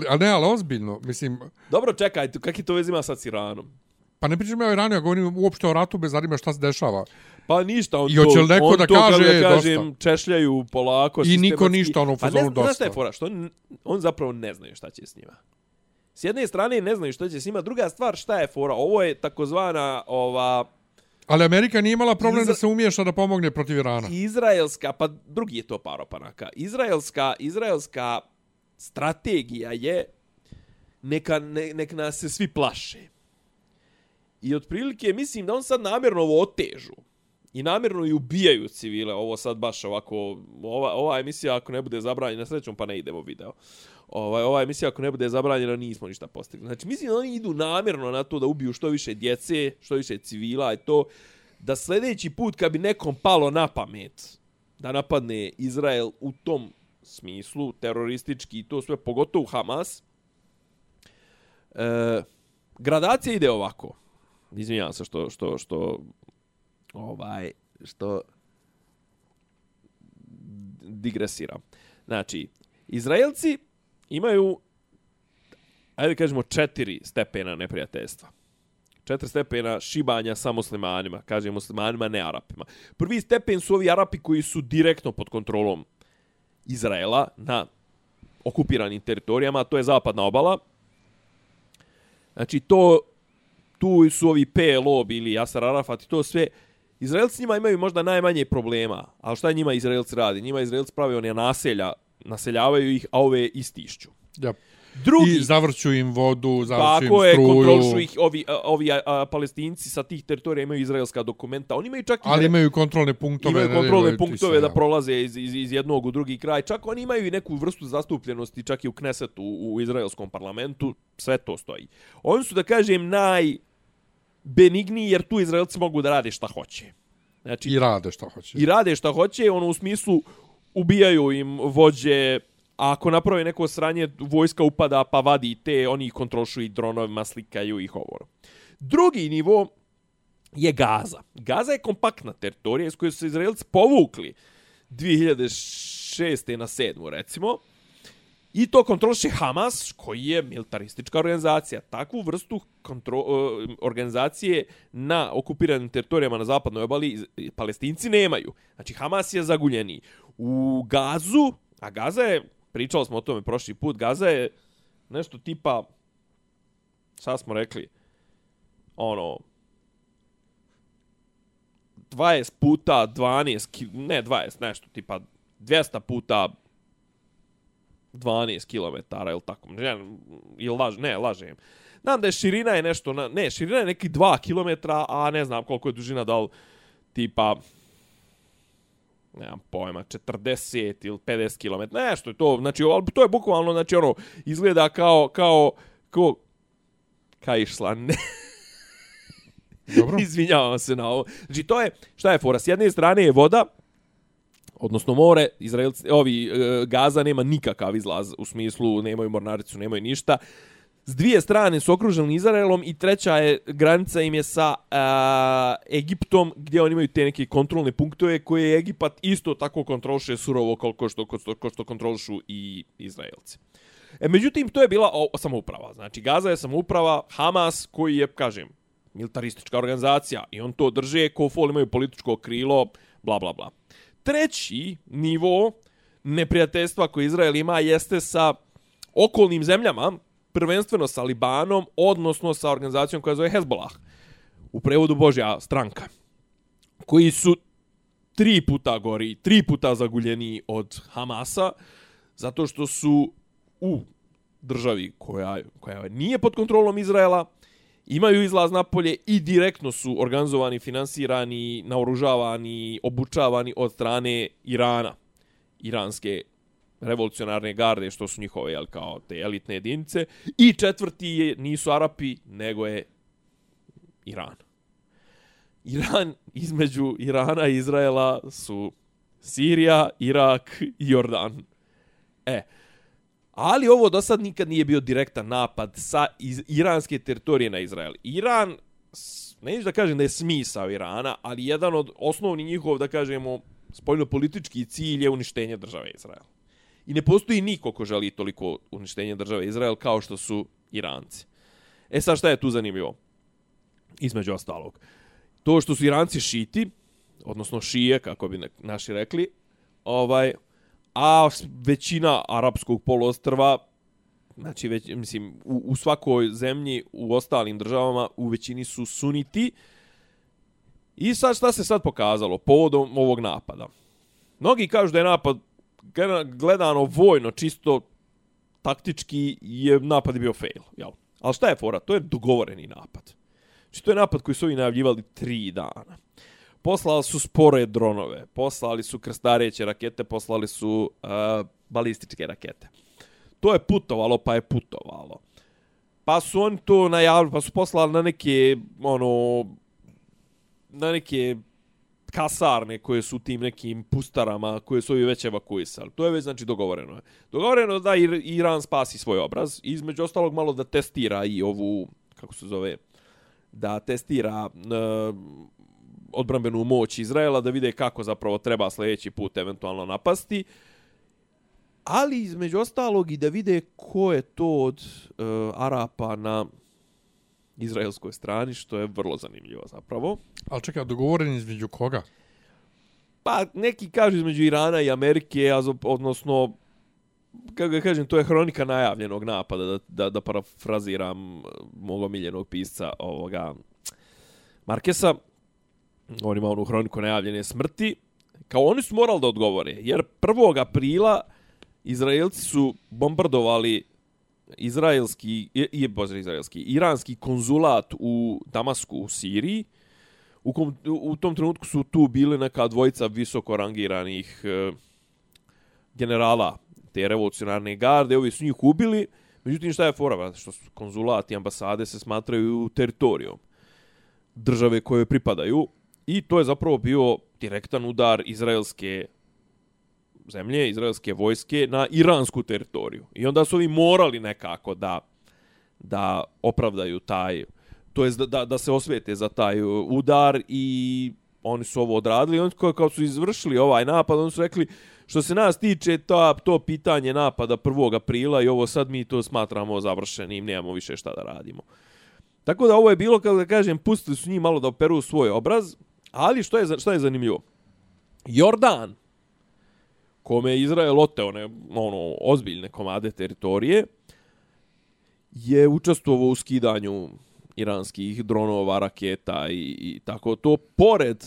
ali ozbiljno, mislim... Dobro, čekaj, kak je to vez ima sad s Iranom? Pa ne pričam ja o Iranu, ja govorim uopšte o ratu bez zanima šta se dešava. Pa ništa, on to kaže, kažem, češljaju polako. I niko ništa, ono, fazonu dosta. Znaš šta je fora, što on zapravo ne znaju šta će s njima. S jedne strane ne znaju šta će s njima, druga stvar šta je fora, ovo je takozvana Ali Amerika nije imala problem da se umiješa da pomogne protiv Irana. Izraelska, pa drugi je to par opanaka. Izraelska strategija je nek nas se svi plaše. I otprilike mislim da on sad namjerno ovo otežu. I namjerno i ubijaju civile. Ovo sad baš ovako... Ova emisija ako ne bude zabranjena, srećom pa ne idemo video. Ova emisija ako ne bude zabranjena nismo ništa postigli. Znači mislim da oni idu namjerno na to da ubiju što više djece, što više civila i to da sljedeći put kad bi nekom palo na pamet da napadne Izrael u tom smislu, teroristički i to sve, pogotovo Hamas, gradacija ide ovako. Izvinjavam se što digresiram. Znači, Izraelci imaju, ajde kažemo, 4 stepena neprijateljstva. 4 stepena šibanja sa muslimanima. Kažem muslimanima, ne Arapima. Prvi stepen su ovi Arapi koji su direktno pod kontrolom Izraela na okupiranim teritorijama. To je zapadna obala. Znači, tu su ovi PLO ili Yasser Arafat i to sve. Izraelci njima imaju možda najmanje problema. Ali šta njima Izraelci radi? Njima Izraelci pravi one naseljavaju ih, a ove istišću. Ja. Drugi, i zavrću im vodu, zavrću im struju. Tako je, kontrolišu ih ovi Palestinci sa tih teritorija imaju izraelska dokumenta. Oni imaju čak ali imaju kontrolne punktove. Imaju kontrolne punktove da prolaze iz jednog u drugi kraj. Čak oni imaju i neku vrstu zastupljenosti čak i u Knesetu, u izraelskom parlamentu. Sve to stoji. Oni su, da kažem, najbenigniji jer tu Izraelci mogu da rade šta hoće. Znači, I rade šta hoće. I rade šta hoće, ono u smislu ubijaju im vođe. A ako naprave neko sranje, vojska upada pa vadi te, oni ih kontrolišu i dronovima, slikaju ih ovo. Drugi nivo je Gaza. Gaza je kompaktna teritorija iz koje su se Izraelci povukli 2006. na 7. recimo. I to kontroliše Hamas, koji je militaristička organizacija. Takvu vrstu organizacije na okupiranim teritorijama na zapadnoj obali Palestinci nemaju. Znači, Hamas je zaguljeniji. U Gazu, a Gaza je, pričali smo o tome prošli put, Gaza je nešto tipa, sad smo rekli, 20 puta 12, ne 20, nešto tipa 200 puta 12 km, ili tako. Ne, lažem. Znam da je širina je nešto, širina je neki 2 km, a ne znam koliko je dužina, da li tipa, nemam pojma, 40 ili 50 km, nešto je to, znači, to je bukvalno, znači, izgleda kao išla, ne. Dobro. Izvinjavam se na ovo. Znači, to je, šta je fora? S jedne strane je voda, odnosno more, Gaza nema nikakav izlaz, u smislu nemaju mornaricu, nemaju ništa. S dvije strane su okruženi Izraelom i treća je granica im je sa Egiptom, gdje oni imaju te neke kontrolne punktove koje Egipat isto tako kontroliše surovo koliko što kontrolišu i Izraelci. Međutim, to je bila samouprava. Znači, Gaza je samouprava, Hamas koji je, kažem, militaristička organizacija i on to drže, ko fol imaju političko krilo, bla, bla, bla. Treći nivo neprijateljstva koje Izrael ima jeste sa okolnim zemljama, prvenstveno sa Libanom, odnosno sa organizacijom koja zove Hezbollah, u prevodu Božja stranka, koji su 3 puta gori, 3 puta zaguljeniji od Hamasa, zato što su u državi koja nije pod kontrolom Izraela, imaju izlaz napolje i direktno su organizovani, finansirani, naoružavani, obučavani od strane Irana, iranske revolucionarne garde, što su njihove, kao te elitne jedinice. I četvrti nisu Arapi, nego je Iran. Između Irana i Izraela su Sirija, Irak i Jordan. Ali ovo do sad nikad nije bio direktan napad sa iranske teritorije na Izrael. Iran, neću da kažem da je smisao Irana, ali jedan od osnovnih njihov, da kažemo, spoljnopolitički cilj je uništenje države Izrael. I ne postoji niko ko želi toliko uništenje države Izrael kao što su Iranci. Sad šta je tu zanimljivo? Između ostalog. To što su Iranci šiti, odnosno šije, kako bi naši rekli, a većina arapskog poluostrva, znači u svakoj zemlji, u ostalim državama, u većini su suniti. I sad šta se sad pokazalo povodom ovog napada? Mnogi kažu da je napad gledano vojno, čisto taktički je napad bio fail. Jel? Ali šta je fora? To je dogovoreni napad. Znači to je napad koji su ovi najavljivali 3 dana. Poslali su spore dronove, poslali su krstareće rakete, poslali su balističke rakete. To je putovalo, pa je putovalo. Pa su oni to najavili, pa su poslali na neke kasarne koje su u tim nekim pustarama koje su ovi već evakuisali. To je već, znači, dogovoreno. Dogovoreno da Iran spasi svoj obraz. Između ostalog malo da testira i ovu, kako se zove, da testira odbrambenu moć Izraela, da vide kako zapravo treba sljedeći put eventualno napasti. Ali između ostalog i da vide ko je to od Arapa na izraelskoj strani, što je vrlo zanimljivo zapravo. Ali čekaj, dogovoren između koga? Pa neki kažu između Irana i Amerike, odnosno, kako ga kažem, to je hronika najavljenog napada, da parafraziram mog omiljenog pisca ovoga Markesa. On ima onu hroniku najavljene smrti. Kao oni su morali da odgovore, jer 1. aprila Izraelci su bombardovali iranski konzulat u Damasku u Siriji. U tom trenutku su tu bili neka dvojica visoko rangiranih generala te revolucionarne garde. Ovi su njih ubili. Međutim, šta je fora? Što konzulat i ambasade se smatraju teritorijom države koje pripadaju. I to je zapravo bio direktan udar izraelske zemlje, izraelske vojske na iransku teritoriju. I onda su ovi morali nekako da opravdaju taj, to jest da se osvete za taj udar i oni su ovo odradili, oni kao su izvršili ovaj napad, oni su rekli što se nas tiče to pitanje napada 1. aprila i ovo sad mi to smatramo završenim, nemamo više šta da radimo. Tako da ovo je bilo, kako da kažem, pustili su njih malo da operu svoj obraz, ali šta je zanimljivo? Jordan, kome je Izrael oteo ozbiljne komade teritorije, je učestvovao u skidanju iranskih dronova, raketa i tako to, pored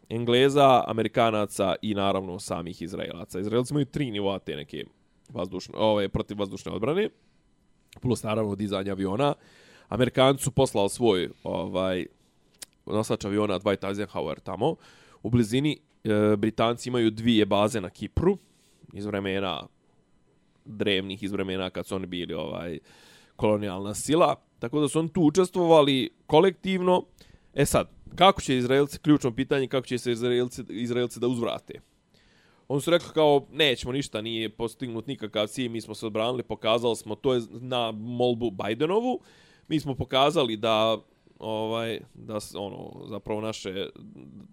Engleza, Amerikanaca i naravno samih Izraelaca. Izraelci imaju 3 nivoa te neke protivvazdušne odbrane, plus naravno dizanja aviona. Amerikanci su poslali svoj nosač aviona Dwight Eisenhower tamo. U blizini Britanci imaju 2 baze na Kipru iz vremena drevnih, iz vremena kad su oni bili kolonijalna sila. Tako da su oni tu učestvovali kolektivno. Sad, kako će Izraelci, ključno pitanje, kako će se Izraelci da uzvrate? Oni su rekli kao, nećemo ništa, nije postignut nikakav cilj, mi smo se odbranili, pokazali smo, to je na molbu Bidenovu, mi smo pokazali da zapravo naše,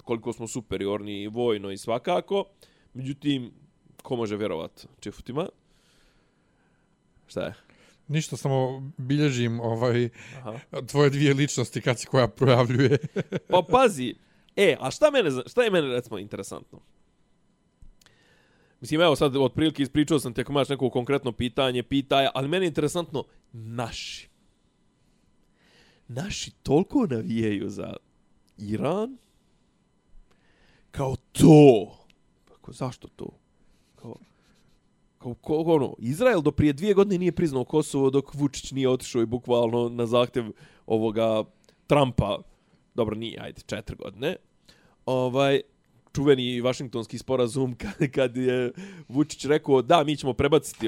koliko smo superiorni vojno i svakako, međutim, ko može vjerovat čifutima? Šta je? Ništa, samo bilježim tvoje 2 ličnosti kad se koja projavljuje. Pa pazi, a šta je mene recimo interesantno? Mislim, evo sad otprilike ispričao sam ti ako imaš neko konkretno pitanje, ali meni je interesantno naši toliko navijaju za Iran kao to. Zašto to? Izrael do prije 2 godine nije priznao Kosovo dok Vučić nije otišao i bukvalno na zahtjev ovoga Trumpa, dobro nije, 4 godine, čuveni Vašingtonski sporazum kad je Vučić rekao da mi ćemo prebaciti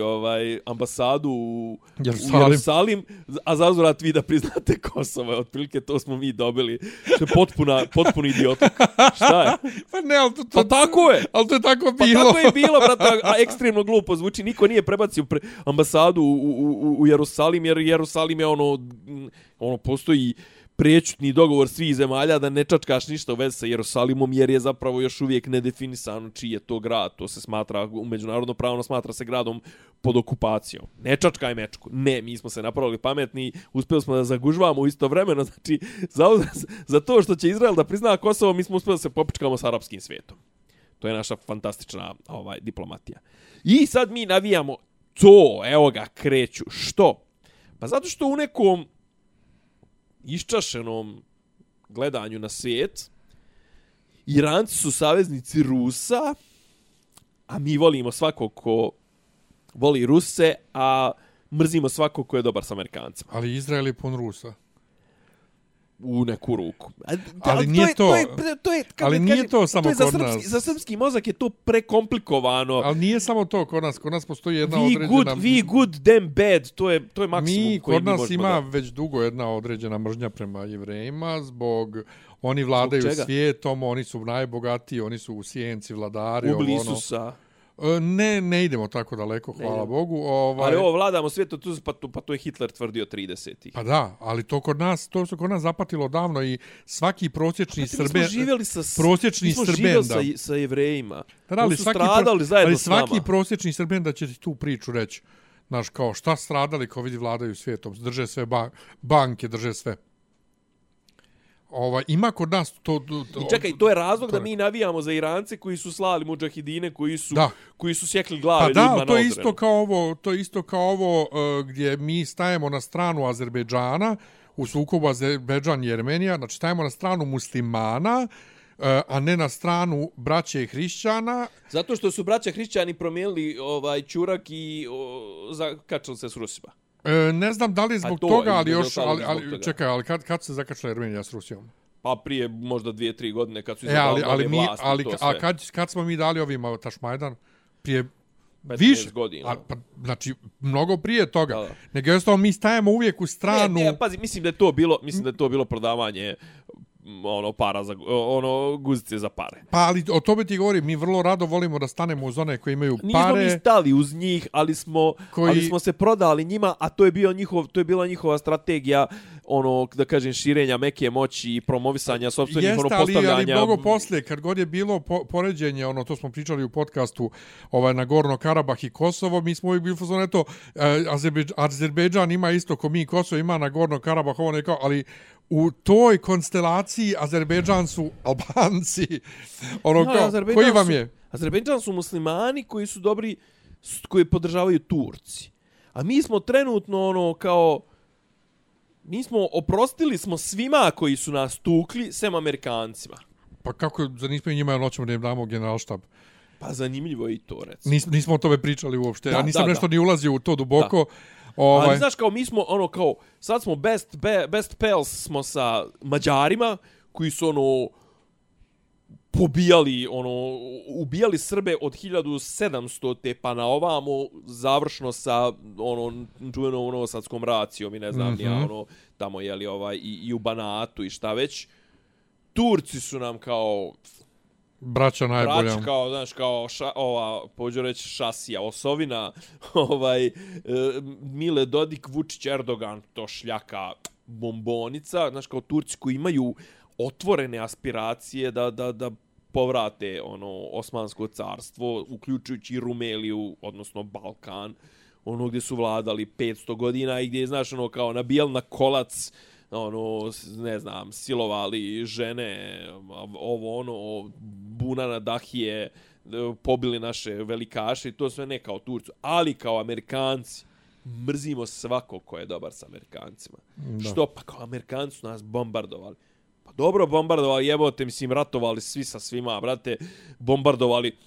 ambasadu u Jerusalim, a zauzvrat vi da priznate Kosovo. Otprilike to smo mi dobili. Što je potpuni idiotluk. Šta je? Pa ne, ali to tako je. Ali to je tako bilo. Pa tako je bilo, brate, a ekstremno glupo zvuči. Niko nije prebacio ambasadu u Jerusalim, jer Jerusalim je postoji prečutni dogovor svih zemalja da ne čačkaš ništa u vezi sa Jerusalimom, jer je zapravo još uvijek nedefinisano čiji je to grad. To se smatra, u međunarodno pravno smatra se gradom pod okupacijom. Ne čačkaj mečku. Ne, mi smo se napravili pametni, uspjeli smo da zagužvamo istovremeno. Znači, za to što će Izrael da prizna Kosovo, mi smo uspjeli da se popičkamo s arapskim svijetom. To je naša fantastična diplomatija. I sad mi navijamo to, evo ga, kreću. Što? Pa zato što u nekom iščašenom gledanju na svijet, Iranci su saveznici Rusa, a mi volimo svakog ko voli Ruse, a mrzimo svakog ko je dobar s Amerikancima. Ali Izrael je pun Rusa. U neku ruku. Ali nije to... Ali nije to samo kod nas. Za srpski mozak je to prekomplikovano. Ali nije samo to kod nas. Kod nas postoji jedna određena... We good, them bad. To je maksimum koji kod nas ima već dugo jedna određena mržnja prema Jevrejima zbog... Oni vladaju svijetom, oni su najbogatiji, oni su u sjenci vladari. Ublisusa. Ne idemo tako daleko, hvala Bogu. Ali vladamo svijetom, pa to je Hitler tvrdio 30-ih. Pa da, ali to se kod nas zapatilo davno i svaki prosječni Srben... Mi smo živjeli sa Jevrejima. Da, su stradali zajedno s nama. Ali svaki prosječni Srben da će ti tu priču reći. Znaš, kao šta stradali kao vidi vladaju svijetom. Drže sve banke, drže sve. Ima kod nas to... I čekaj, to je razlog da mi navijamo za Irance koji su slali mudžahidine, koji su sjekli glave ljudima na odrenu. To je isto kao ovo gdje mi stajemo na stranu Azerbejdžana u sukobu Azerbejdžan i Armenija, znači stajemo na stranu muslimana, a ne na stranu braće hrišćana. Zato što su braća hrišćani promijenili ćurak i zakačali se s Rusima. Ne znam da li je zbog toga, ali još... Čekaj, ali kad se zakačala Armenija s Rusijom? Pa prije možda 2-3 godine kad su izabrali nove vlasti. A kad smo mi dali ovima Tašmajdan? Prije 15 godina. Znači, mnogo prije toga. Da. Nego jednostavno mi stajemo uvijek u stranu... Ne, pazi, mislim da je to bilo prodavanje para za guzice za pare. Pa ali o tome ti govorim, mi vrlo rado volimo da stanemo uz one koji imaju pare. Nismo mi stali uz njih, ali smo se prodali njima, a to je bila njihova strategija ono, da kažem, širenja meke moći i promovisanja sopstvenih postavljanja. Jeste, ali mnogo poslije, kad god je bilo poređenje, ono, to smo pričali u podcastu na Gorno Karabah i Kosovo, mi smo uvijek bili fazon, eto, Azerbejdžan ima isto ko mi, Kosovo ima na Gorno Karabah, ovo nekao, ali u toj konstelaciji Azerbejdžan su Albanci. Ono, koji vam je? Azerbejdžan su muslimani koji su dobri, koji podržavaju Turci. A mi smo trenutno, ono, kao... Mi smo oprostili smo svima koji su nas tukli, sem Amerikancima. Pa kako, za nismo i njima noćemo da im damo generalštab? Pa zanimljivo je i to, recimo. Nismo o tome pričali uopšte. Ja nisam nešto ni ulazio u to duboko. Ali znaš, kao mi smo, ono, kao, sad smo best pals smo sa Mađarima, koji su, ono, pobijali, ono, ubijali Srbe od 1700 te pa na ovamo, završno sa, ono, čuvenom novosadskom racijom i ne znam, ja, ono, tamo, jeli, i u Banatu i šta već. Turci su nam kao... Braća najbolja. Braća kao, znaš, kao pođu reći šasija, osovina, Mile Dodik, Vučić, Erdogan, to šljaka bombonica, znaš, kao Turci koji imaju otvorene aspiracije da povrate ono Osmansko carstvo, uključujući Rumeliju, odnosno Balkan, ono gdje su vladali 500 godina i gdje je, znaš, ono, kao nabijali na kolac, ono, ne znam, silovali žene, ovo, ono, buna na dahije, pobili naše velikaše i to sve ne kao Turcu, ali kao Amerikanci. Mrzimo svako ko je dobar sa Amerikancima. Da. Što? Pa kao Amerikanci su nas bombardovali. Pa dobro bombardovali, jebote, mislim, ratovali svi sa svima, brate, bombardovali.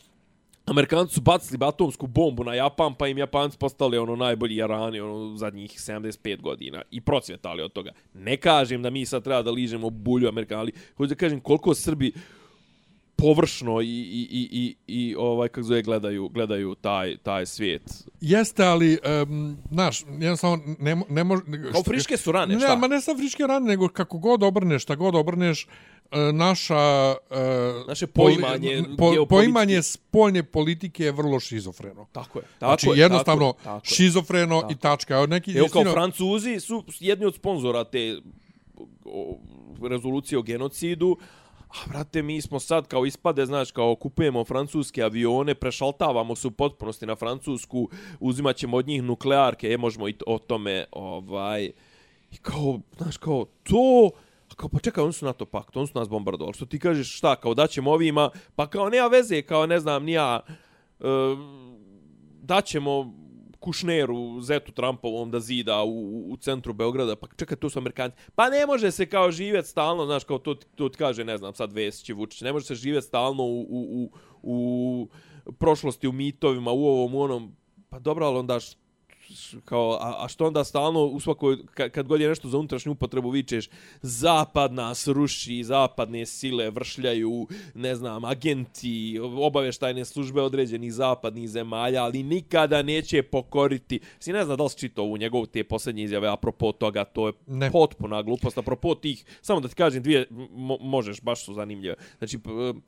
Amerikanci su bacili atomsku bombu na Japan, pa im Japanci postali ono najbolji jarani ono zadnjih 75 godina i procvjetali od toga. Ne kažem da mi sad treba da ližemo bulju Amerikana, ali hoću da kažem koliko Srbi površno i kako zove gledaju taj svijet. Jeste, ali znaš, jednostavno ne može kao friške su rane, šta? Ne, ma ne sa friške rane, nego kako god obrneš, šta god obrneš, naše poimanje spoljne politike je vrlo šizofreno. Tako je. Znači jednostavno šizofreno i tačka. Evo kao Francuzi su jedni od sponzora te rezolucije o genocidu. A, brate, mi smo sad kao ispade, znaš, kao kupujemo francuske avione, prešaltavamo se u potpunosti na Francusku, uzimat ćemo od njih nuklearke, možemo i o tome, i kao, znaš, kao, to, kao, pa čekaj, oni su NATO pakt, oni su nas bombardovali, što ti kažeš, šta, kao, daćemo ovima, pa kao, nema veze, kao, ne znam, nija, daćemo Kušneru, zetu Trumpovom da zida u centru Beograda, pa čekaj, to su Amerikanci. Pa ne može se kao živjeti stalno, znaš, kao to ti kaže, ne znam, sad Vesić i Vučić, ne može se živjeti stalno u prošlosti, u mitovima, u ovom, u onom, pa dobro, ali onda kao, a što onda stalno u svakoj, kad god je nešto za unutrašnju upotrebu vičeš, zapad nas ruši, zapadne sile vršljaju, ne znam, agenti, obavještajne službe određenih zapadnih zemalja, ali nikada neće pokoriti. Si ne znam da li si čitao u njegovu te posljednje izjave apropo toga, to je potpuna glupost. Apropo tih, samo da ti kažem dvije, možeš, baš su zanimljive. Znači,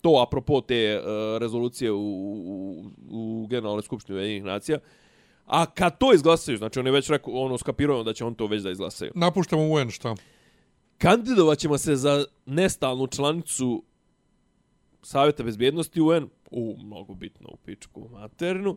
to apropo te rezolucije u Generalnoj skupštini Ujedinjenih nacija. A kad to izglasaju, znači on je već rekao, ono, skapirujemo da će on to već da izglasaju. Napuštamo UN, šta? Kandidovat ćemo se za nestalnu članicu Savjeta bezbjednosti UN, mnogo bitno u pičku materinu,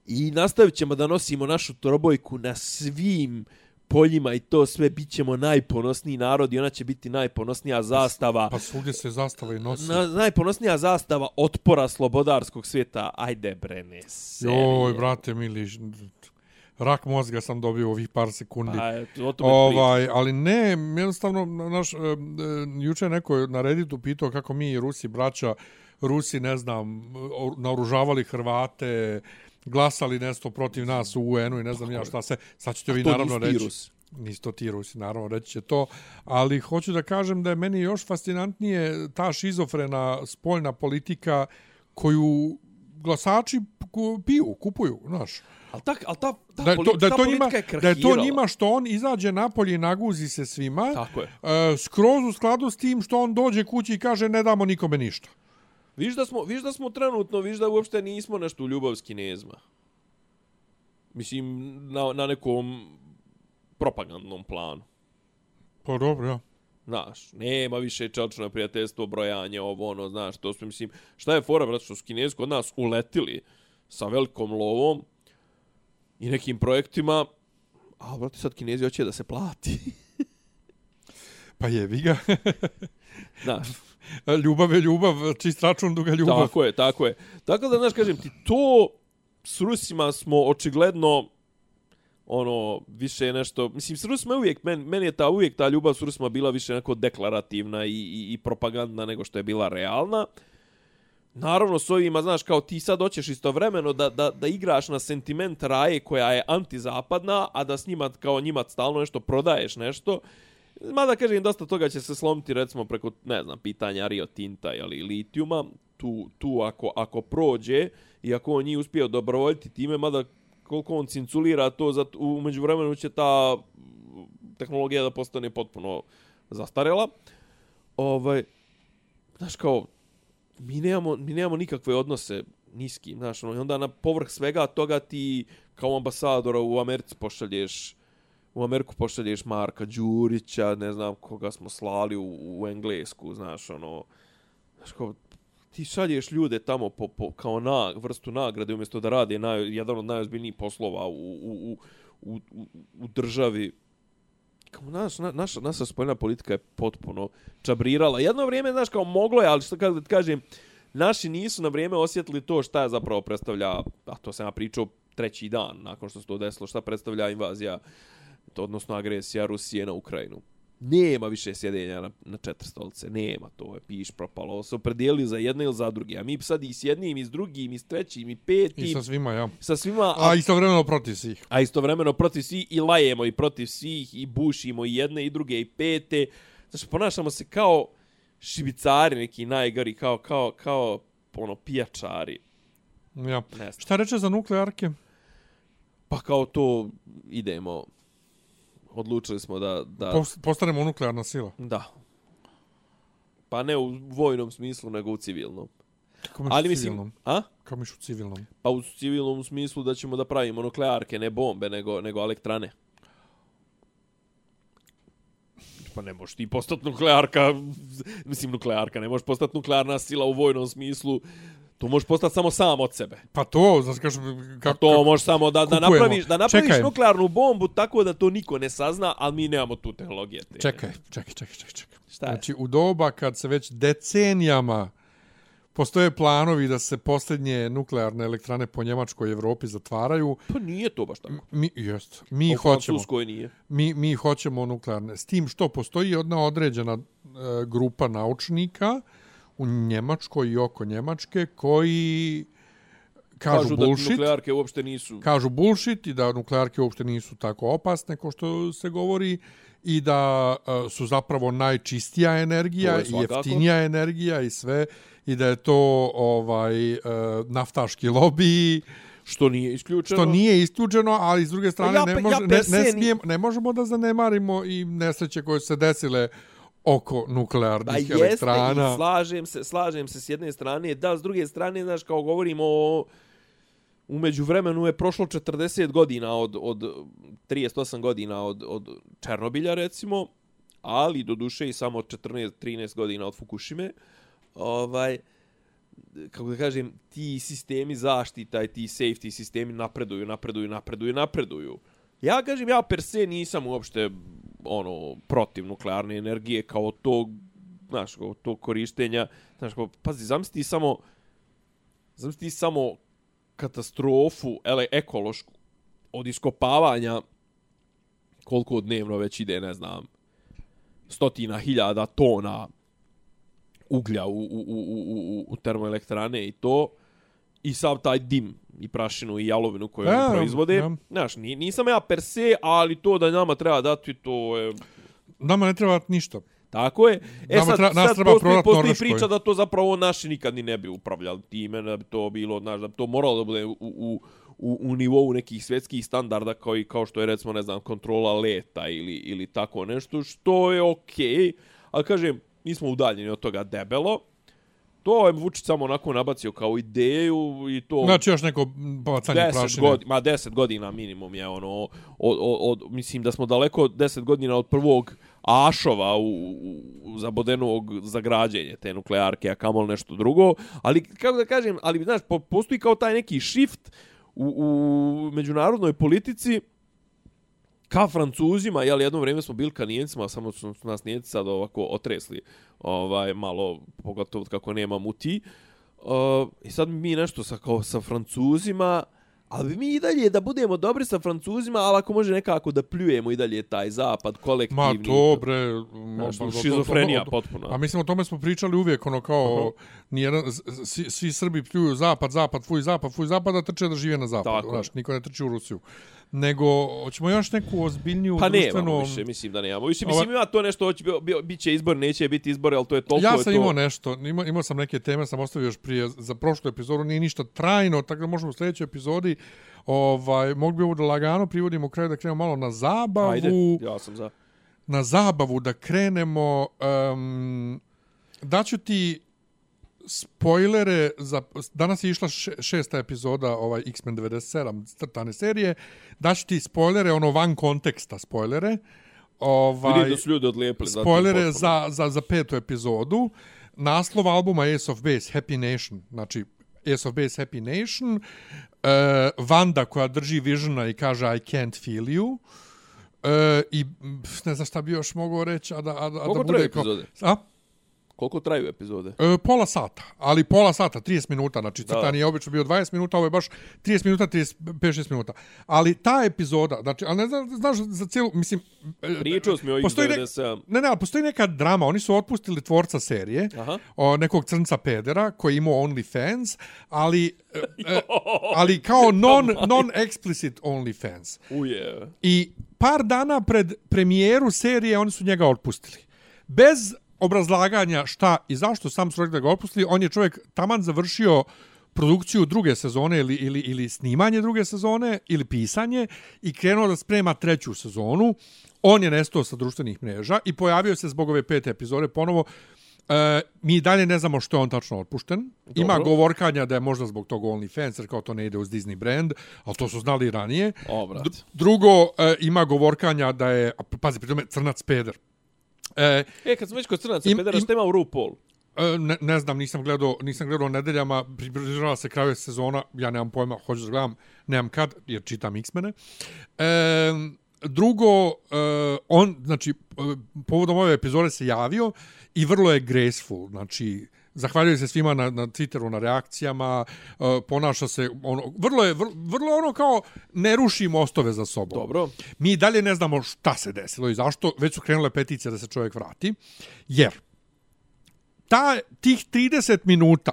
i nastavit ćemo da nosimo našu trobojku na svim poljima i to sve, bit ćemo najponosniji narod i ona će biti najponosnija zastava. Pa svugdje se zastava i nosi. Najponosnija zastava otpora slobodarskog svijeta. Ajde bre, ne serije. Joj, brate mili, rak mozga sam dobio ovih par sekundi. Pa, ali ne, jednostavno, juče neko na Redditu pitao kako mi i Rusi braća, Rusi, ne znam, naoružavali Hrvate, glasali nešto protiv nas u UN-u i ne znam ja šta se. Sad ćete vi naravno reći. Nisu to ti Rusi, naravno reći će to. Ali hoću da kažem da je meni još fascinantnije ta šizofrena spoljna politika koju glasači kupuju, znaš. Ali ta politika je krahirala. Da je to njima što on izađe napolje i naguzi se svima. Tako je. Skroz u skladu s tim što on dođe kući i kaže ne damo nikome ništa. Viš da smo trenutno, viš da uopšte nismo nešto u ljubav s Kinezima. Mislim, na nekom propagandnom planu. Pa dobro, ja. Znaš, nema više čelično prijateljstvo, brojanje, ovo, ono, znaš, to su, mislim, šta je fora, brate, što su Kinezi kod nas uletili sa velikom lovom i nekim projektima, a, brate, sad Kinezi hoće da se plati. Pa jebi ga. Znaš. Ljubav je ljubav, čist račun, duga ljubav. Tako je, tako je. Tako da, znaš, kažem ti, to s Rusima smo očigledno ono, više nešto, mislim, s Rusima je uvijek, meni je uvijek ta ljubav s Rusima bila više neko deklarativna i propagandna nego što je bila realna. Naravno, s ovima, znaš, kao ti sad hoćeš istovremeno da igraš na sentiment Raje koja je antizapadna, a da s njima, kao njima stalno nešto prodaješ nešto. Mada, kažem, dosta toga će se slomiti, recimo, preko, ne znam, pitanja Rio Tinta ili litijuma. Tu ako prođe i ako on njih uspije dobrovoljiti time, mada koliko on cinculira to, u međuvremenu će ta tehnologija da postane potpuno zastarela. Znaš, kao, mi nemamo nikakve odnose niski, znaš, i onda na povrh svega toga ti kao ambasadora u Ameriku pošalješ Marka Đurića, ne znam koga smo slali u Englesku, znaš, ono, znaš, kao, ti šalješ ljude tamo kao vrstu nagrade umjesto da rade jedan od najozbiljnijih poslova u državi. Kao, naša spoljna politika je potpuno čabrirala. Jedno vrijeme, znaš, kao moglo je, ali što kažem, naši nisu na vrijeme osjetili to šta je zapravo predstavlja, a to sam ja pričao treći dan nakon što se to desilo, šta predstavlja invazija, odnosno agresija Rusije na Ukrajinu. Nema više sjedenja na 4 stolice. Nema, to je piš propalo. Se opredijelili za jedne ili za druge. A mi sad i s jednim, i s drugim, i s trećim, i petim. I sa svima, ja. Sa svima. A istovremeno protiv svih. A istovremeno protiv svih i lajemo i protiv svih i bušimo i jedne i druge i pete. Znači, ponašamo se kao šibicari neki najgori, kao ono, pijačari. Ja. Šta reče za nuklearke? Pa kao to idemo... Odlučili smo da... Postanemo nuklearna sila. Da. Pa ne u vojnom smislu, nego u civilnom. Kako misliš u civilnom? A? Kako misliš u civilnom? Pa u civilnom smislu da ćemo da pravimo nuklearke, ne bombe, nego elektrane. Pa ne možeš ti postati nuklearka, ne možeš postati nuklearna sila u vojnom smislu. To možeš postati samo sam od sebe. Pa to, znači kako to možeš samo da napraviš nuklearnu bombu tako da to niko ne sazna, ali mi nemamo tu tehnologije. Čekaj. Šta je? Znači, u doba kad se već decenijama postoje planovi da se posljednje nuklearne elektrane po Njemačkoj i Evropi zatvaraju. Pa nije to baš tako. Mi hoćemo. Nije. Mi hoćemo nuklearne. S tim što postoji jedna određena grupa naučnika u Njemačkoj i oko Njemačke koji kažu bullshit. Da nuklearke uopšte nisu. Kažu bullshit i da nuklearke uopšte nisu tako opasne kao što se govori i da su zapravo najčistija energija i jeftinija energija i sve i da je to naftaški lobij. Što nije isključeno. Ali s druge strane ne možemo da zanemarimo i nesreće koje se desile oko nuklearnih elektrana. I slažem se s jedne strane, da, s druge strane, znaš, kao govorimo u međuvremenu je prošlo 40 godina od 38 godina od Černobilja, recimo, ali do duše i samo 14-13 godina od Fukushime. Kako da kažem, ti sistemi zaštita i ti safety sistemi napreduju. Ja kažem, ja per se nisam uopšte protiv nuklearne energije kao tog, znaš, kao tog korištenja, znaš, kao, pazi, zamisli samo katastrofu ekološku od iskopavanja koliko dnevno već ide, ne znam, 100.000 tona uglja u termoelektrane i to, i sav taj dim i prašinu i jalovinu koju oni proizvode. Znaš, nisam ja per se, ali to da nama treba dati, to je... Nama ne treba ništa. Tako je. Sad postoji priča da to zapravo naši nikad ni ne bi upravljali time, da bi to bilo, znaš, da bi to moralo da bude u nivou nekih svjetskih standarda kao što je, recimo, ne znam, kontrola leta ili tako nešto, što je okej. Ali, kažem, mi smo udaljeni od toga debelo. To je Vučić samo onako nabacio kao ideju i to... Znači još neko bacanje prašine. 10 godina minimum je mislim da smo daleko 10 godina od prvog ašova za Bodenovog za građenje te nuklearke, a kamol nešto drugo. Ali, kako da kažem, ali, znaš, postoji kao taj neki shift u međunarodnoj politici ka Francuzima, jel, jedno vrijeme smo bili ka Nijencima, samo su nas Nijenci sad ovako otresli, malo, pogotovo kako nema muti. I sad mi nešto sa Francuzima, ali mi i dalje da budemo dobri sa Francuzima, ali ako može nekako da pljujemo i dalje taj zapad kolektivni. Ma to bre, šizofrenija potpuno. A mislim o tome smo pričali uvijek, ono kao svi Srbi pljuju zapad, fuj zapad, da trče da žive na zapadu. Znaš, niko ne trči u Rusiju. Nego, hoćemo još neku ozbiljniju društvenu... Pa nemamo više, mislim da nemamo. Mislim, ima to nešto, bit će izbor, neće biti izbor, ali to je toliko... Ja sam imao nešto, imao sam neke teme, sam ostavio još prije, za prošlu epizodu, nije ništa trajno, tako da možemo u sljedećoj epizodi, mogli bi ovo da lagano privodimo kraju, da krenemo malo na zabavu. Ajde, ja sam za. Na zabavu da krenemo, daću ti spoilere za danas je išla 6. epizoda X-Men 97 crtane serije. Daću ti spoilere van konteksta spoilere. Vidim da su ljudi odlijepili spoilere za 5. epizodu. Naslov albuma Ace of Base Happy Nation. Znači Ace of Base Happy Nation. Wanda koja drži Visiona i kaže I can't feel you. I ne znam šta bi još mogao reći Koliko traje epizode? Koliko traju epizode? Pola sata, ali pola sata, 30 minuta, znači crtani je obično bio 20 minuta, ovo je baš 30 minuta, 5-6 minuta. Ali ta epizoda, znači, ali ne znaš za cijelu, mislim... Pričao smo o X97. Ali postoji neka drama, oni su otpustili tvorca serije, nekog crnca pedera, koji je imao OnlyFans, ali kao non-explicit OnlyFans. I par dana pred premijeru serije oni su njega otpustili. Bez obrazlaganja šta i zašto, sam su rekli da ga otpustili. On je čovjek taman završio produkciju druge sezone ili snimanje druge sezone ili pisanje i krenuo da sprema 3. sezonu. On je nestao sa društvenih mreža i pojavio se zbog ove 5. epizode ponovo. Mi dalje ne znamo što je on tačno otpušten. Dobro. Ima govorkanja da je možda zbog tog OnlyFans, jer kao to ne ide uz Disney brand, ali to su znali ranije. Drugo, ima govorkanja da je, pazi, pri tome crnac peder. Kad smo već kod crnaca pedera, šta ima u RuPaul? Ne znam, nisam gledao nedeljama, približava se kraju sezona, ja nemam pojma, hoću da gledam, nemam kad, jer čitam X-mene. Drugo, on, znači, povodom ove epizode se javio i vrlo je graceful, znači, zahvaljuje se svima na Twitteru, na reakcijama, ponaša se, vrlo ono kao ne ruši mostove za sobom. Dobro. Mi dalje ne znamo šta se desilo i zašto, već su krenule peticije da se čovjek vrati, jer tih 30 minuta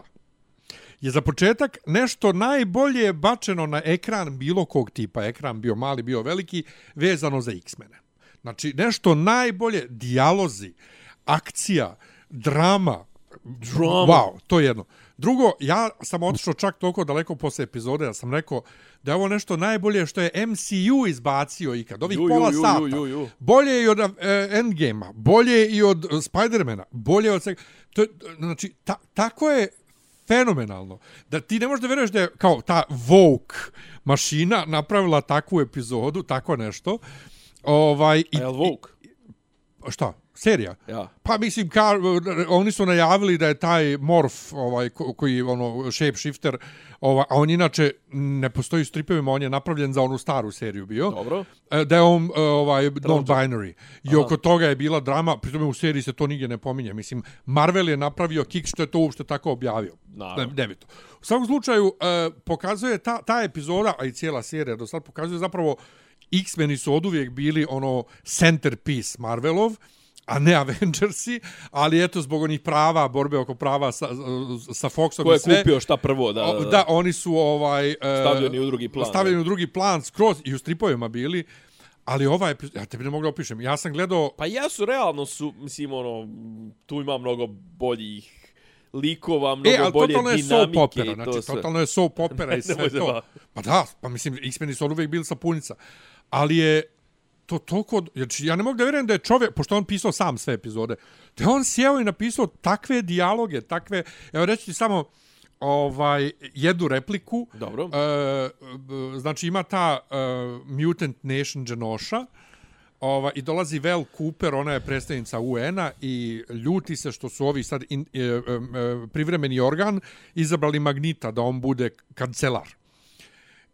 je za početak nešto najbolje bačeno na ekran bilo kog tipa, ekran bio mali, bio veliki, vezano za X-mene. Znači, nešto najbolje, dijalozi, akcija, drama. Wow, to je jedno. Drugo, ja sam otišao čak toliko daleko posle epizode, da sam rekao da je ovo nešto najbolje što je MCU izbacio ikad. Ovih pola sata. Bolje i od Endgame-a, bolje i od Spider-mana, bolje od svega. Znači, tako je fenomenalno. Da ti ne možeš da veruješ da je kao ta Vogue mašina napravila takvu epizodu, tako nešto. A je Vogue? Šta? Serija? Ja. Pa mislim, oni su najavili da je taj Morph, koji je shapeshifter, a on inače ne postoji u stripovima, on je napravljen za onu staru seriju bio. Dobro. Da je on non-binary. I oko toga je bila drama, pri tome u seriji se to nigdje ne pominje. Mislim, Marvel je napravio kick što je to uopšte tako objavio. Nebito. U svakom slučaju, pokazuje ta epizoda, a i cijela serija do sad pokazuje zapravo X-meni su oduvijek bili centerpiece Marvelov, a ne Avengersi, ali eto zbog onih prava, borbe oko prava sa Foxom i sve. Ko je kupio šta prvo? Da, oni su stavljeni u drugi plan. Stavljeni u drugi plan, skroz i u stripovima bili, ali ja tebi ne mogu da opišem. Ja sam gledao... Pa jesu, realno su, mislim, tu ima mnogo boljih likova, mnogo bolje dinamike. Totalno je soap opera i sve to. Pa da, pa mislim, X-meni su uvijek bili sapunica. Ali je to toliko... Znači, ja ne mogu da vjerujem da je čovjek, pošto on pisao sam sve epizode, da je on sjeo i napisao takve dijaloge, takve... Evo reći ti samo jednu repliku. Dobro. Znači, ima ta Mutant Nation Genosha, I dolazi Val Cooper, ona je predstavnica UN-a i ljuti se što su ovi sad privremeni organ izabrali Magnita da on bude kancelar.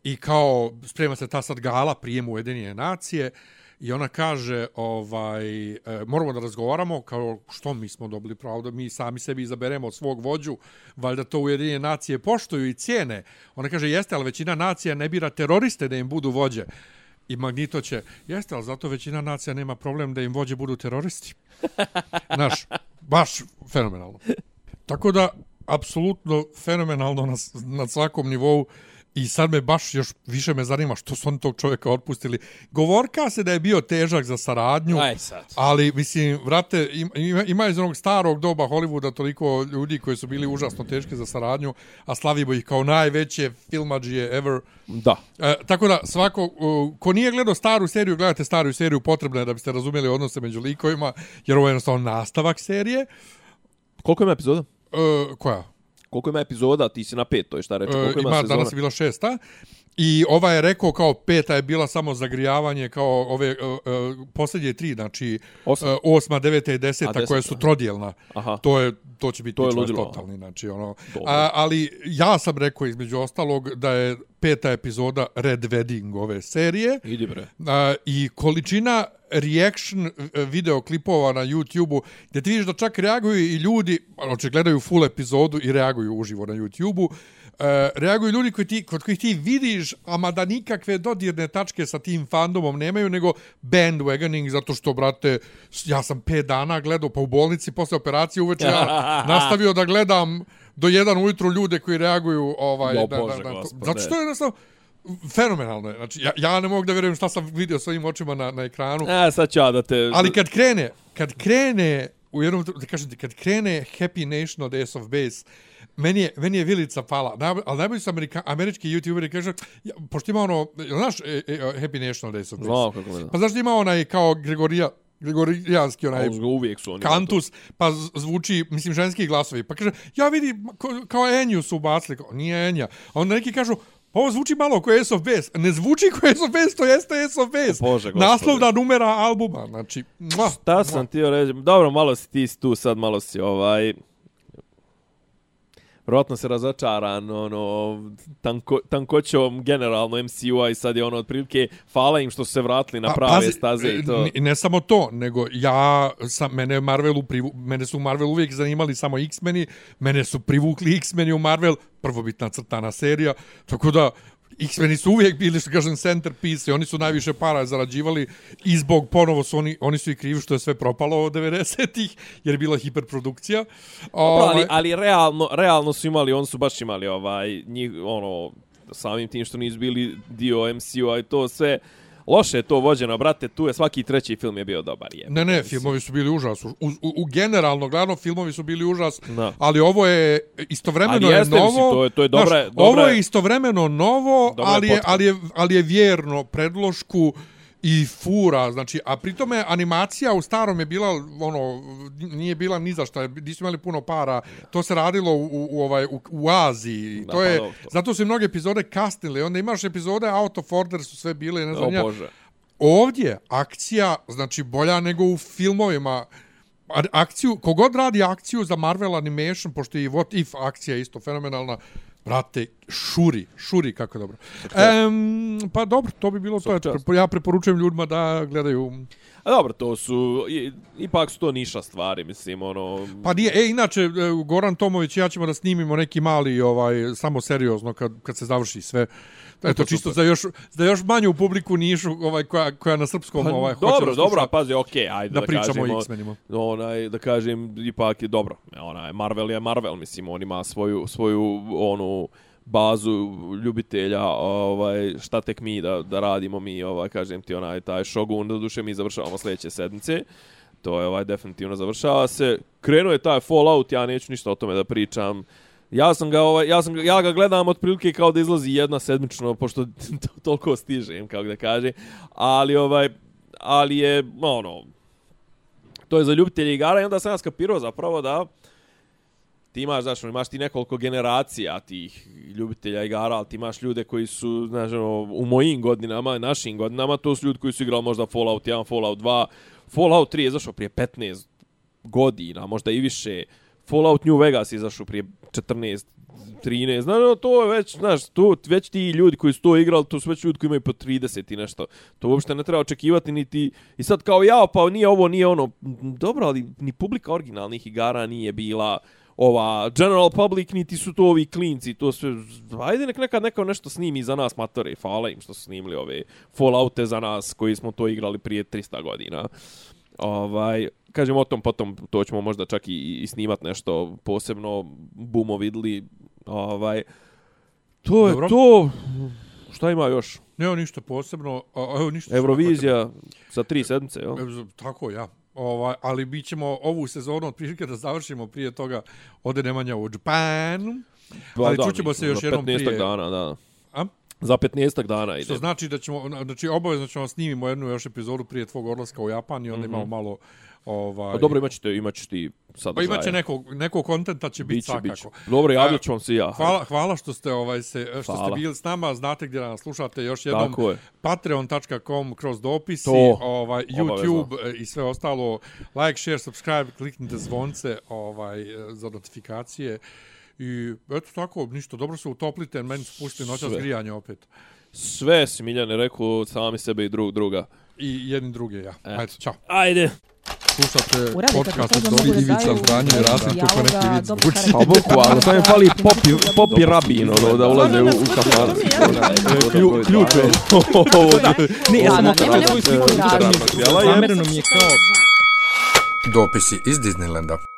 I kao sprema se ta sad gala prijemu Ujedinjene nacije i ona kaže moramo da razgovaramo kao što mi smo dobili pravo da mi sami sebi izaberemo svog vođu, valjda to Ujedinjene nacije poštuju i cijene. Ona kaže jeste, ali većina nacija ne bira teroriste da im budu vođe. I Magnito će, jeste, ali zato većina nacija nema problem da im vođe budu teroristi. Znaš, baš fenomenalno. Tako da, apsolutno fenomenalno na svakom nivou. I sad me baš još više me zanima što su oni tog čovjeka otpustili. Govorka se da je bio težak za saradnju, ali mislim, vrate, ima iz onog starog doba Hollywooda toliko ljudi koji su bili užasno teški za saradnju, a slavimo ih kao najveće filmadžije ever. Da. Tako da svako, ko nije gledao staru seriju, gledate staru seriju, potrebno je da biste razumjeli odnose među likovima, jer ovo je jednostavno nastavak serije. Koliko ima epizoda? Koja? Koliko ima epizoda, ti si na 5, to je šta reče. Koliko ima sezona? Danas je bila 6. I ova je rekao kao 5. je bila samo zagrijavanje kao ove posljednje 3, znači 8, 9 i 10 koje su trodjelna. Aha. To će biti totalni, znači ono. Ali ja sam rekao između ostalog da je 5. epizoda Red Wedding ove serije. Idi bre. I količina reaction videoklipova na YouTube-u, gdje ti vidiš da čak reaguju i ljudi, znači gledaju full epizodu i reaguju uživo na YouTube-u, reaguju ljudi kod kojih ti vidiš, ama da nikakve dodirne tačke sa tim fandomom nemaju, nego bandwagoning, zato što, brate, ja sam 5 dana gledao, pa u bolnici posle operacije uveče ja nastavio da gledam do 1 ujutru ljude koji reaguju zato što je jednostavno fenomenalno je. Znači, ja ne mogu da vjerujem šta sam vidio svojim očima na ekranu. Sad ću ja da te... Ali kad krene u jednom, da kažem ti, kad krene Happy Nation od Ace of Base, meni je vilica pala. Ali najbolji su američki youtuberi kažu, pošto ima ono, znaš Happy Nation od Ace of Base? Znao kako me da. Pa znaš ima onaj kao gregorijanski onaj kantus, pa zvuči, mislim, ženski glasovi. Pa kaže, ja vidi, kao Enju su ubacili. Nije Enja. A onda neki kažu, pa ovo zvuči malo kao Ace of Base. Ne zvuči kao Ace of Base, to jeste Ace of Base. Bože, naslovna numera albuma. Znači, šta sam ti reći? Dobro, malo si ti tu sad, malo si vjerojatno se razočaran tankoćom generalno MCU-a i sad je otprilike hvala im što su se vratili na prave staze i to. Ne samo to, nego mene su u Marvelu uvijek zanimali samo X-meni, mene su privukli X-meni u Marvel, prvobitna crtana serija, tako da X-meni su uvijek bili, što kažem, centerpiece, oni su najviše para zarađivali i zbog ponovo su oni su i krivi što je sve propalo od 90-ih, jer je bila hiperprodukcija. Ali realno su imali, oni su baš imali samim tim što nisu bili dio MCU-a i to sve. Loše je to vođeno, brate, tu je svaki treći film je bio dobar. Ne, filmovi su bili užas. Generalno, gledano, filmovi su bili užas, ali ovo je istovremeno je novo. To je dobra. Ovo je istovremeno novo, ali je vjerno predlošku i fura, znači, a pritome animacija u starom je bila, nije bila ni za šta, nisu imali puno para, to se radilo u Aziji, zato su i mnoge epizode kasnile, onda imaš epizode Out of Order su sve bile, ne znam ja. Ovdje akcija, znači, bolja nego u filmovima, kogod radi akciju za Marvel Animation, pošto je i What If akcija isto fenomenalna, brate, šuri, kako dobro. Pa dobro, to bi bilo to. Ja preporučujem ljudima da gledaju. A dobro, to su, ipak su to niša stvari, mislim, Pa nije, inače, Goran Tomović i ja ćemo da snimimo neki mali, samo seriozno, kad se završi sve. Eto, čisto za još manju publiku nišu, koja na srpskom, hoće dobro, pazi, okej, ajde da pričamo o X-menima. Da kažem, ipak je dobro. Marvel je Marvel, mislim, on ima svoju bazu ljubitelja, šta tek mi da radimo mi, kažem ti, taj Shogun, da duše mi završavamo sljedeće sedmice. To je definitivno završava se. Krenuo je taj Fallout, ja neću ništa o tome da pričam. Ja ga gledam otprilike kao da izlazi jedna sedmično, pošto toliko stižem, kako da kaže. Ali je, to je za ljubitelje igara i onda sam ja skapirao zapravo da ti imaš, znaš, imaš ti nekoliko generacija tih ljubitelja igara, ali ti imaš ljude koji su, znaš, u mojim godinama, našim godinama, to su ljudi koji su igrali možda Fallout 1, Fallout 2, Fallout 3 je izašao prije 15 godina, možda i više. Fallout New Vegas je izašao prije 14, 13, znaš, to je već, znaš, to, već ti ljudi koji su to igrali, to su već ljudi koji imaju po 30 i nešto. To uopšte ne treba očekivati niti, i sad kao ja, pa nije ovo, nije ono, dobro, ali ni publika originalnih igara nije bila ova general public, niti su to ovi klinci, to sve, ajde nek nekad neko nešto snimi za nas matore, hvala im što su snimili ove Falloute za nas koji smo to igrali prije 300 godina. Kažem o tom, potom to ćemo možda čak i snimat nešto posebno, bumo vidli, to je to, šta ima još? Nema ništa posebno, ništa. Eurovizija za 3 sedmice, jel? Tako, ja. Ali mi ćemo ovu sezonu otprilike da završimo prije toga ode Nemanja u Japanu, ali čućemo se još jednom prije. 15 dana, da. Za 15 dana ide. Što znači da ćemo, znači obavezno ćemo snimimo jednu još epizodu prije tvog odlaska u Japan i onda imamo malo dobro, imaćeš ti sadržaja. Pa imaće nekog kontenta će biti svakako. Dobro, javljat ću vam se ja. Hvala što ste ste bili s nama, znate gdje nas slušate još jednom. Patreon.com kroz dopisi, YouTube i sve ostalo. Like, share, subscribe, kliknite zvonce za notifikacije. I eto tako, ništa, dobro se utoplite, meni su pustili noćas grijanje opet. Sve si, Miljane, rekao sami sebe i druga. I jedni druge, ja. Ajde, čao. Ajde. Slušate podcast od Dobri Ivica Zdanje i Rasim kako neki vid zvuči. Pa bukvalno, sam je fali popi rabin, da ulaze u kafan. Ključ je. Ne, ja sam okrenuo svoju sliku i zamereno mi je kao... Dopisi iz Disneylanda.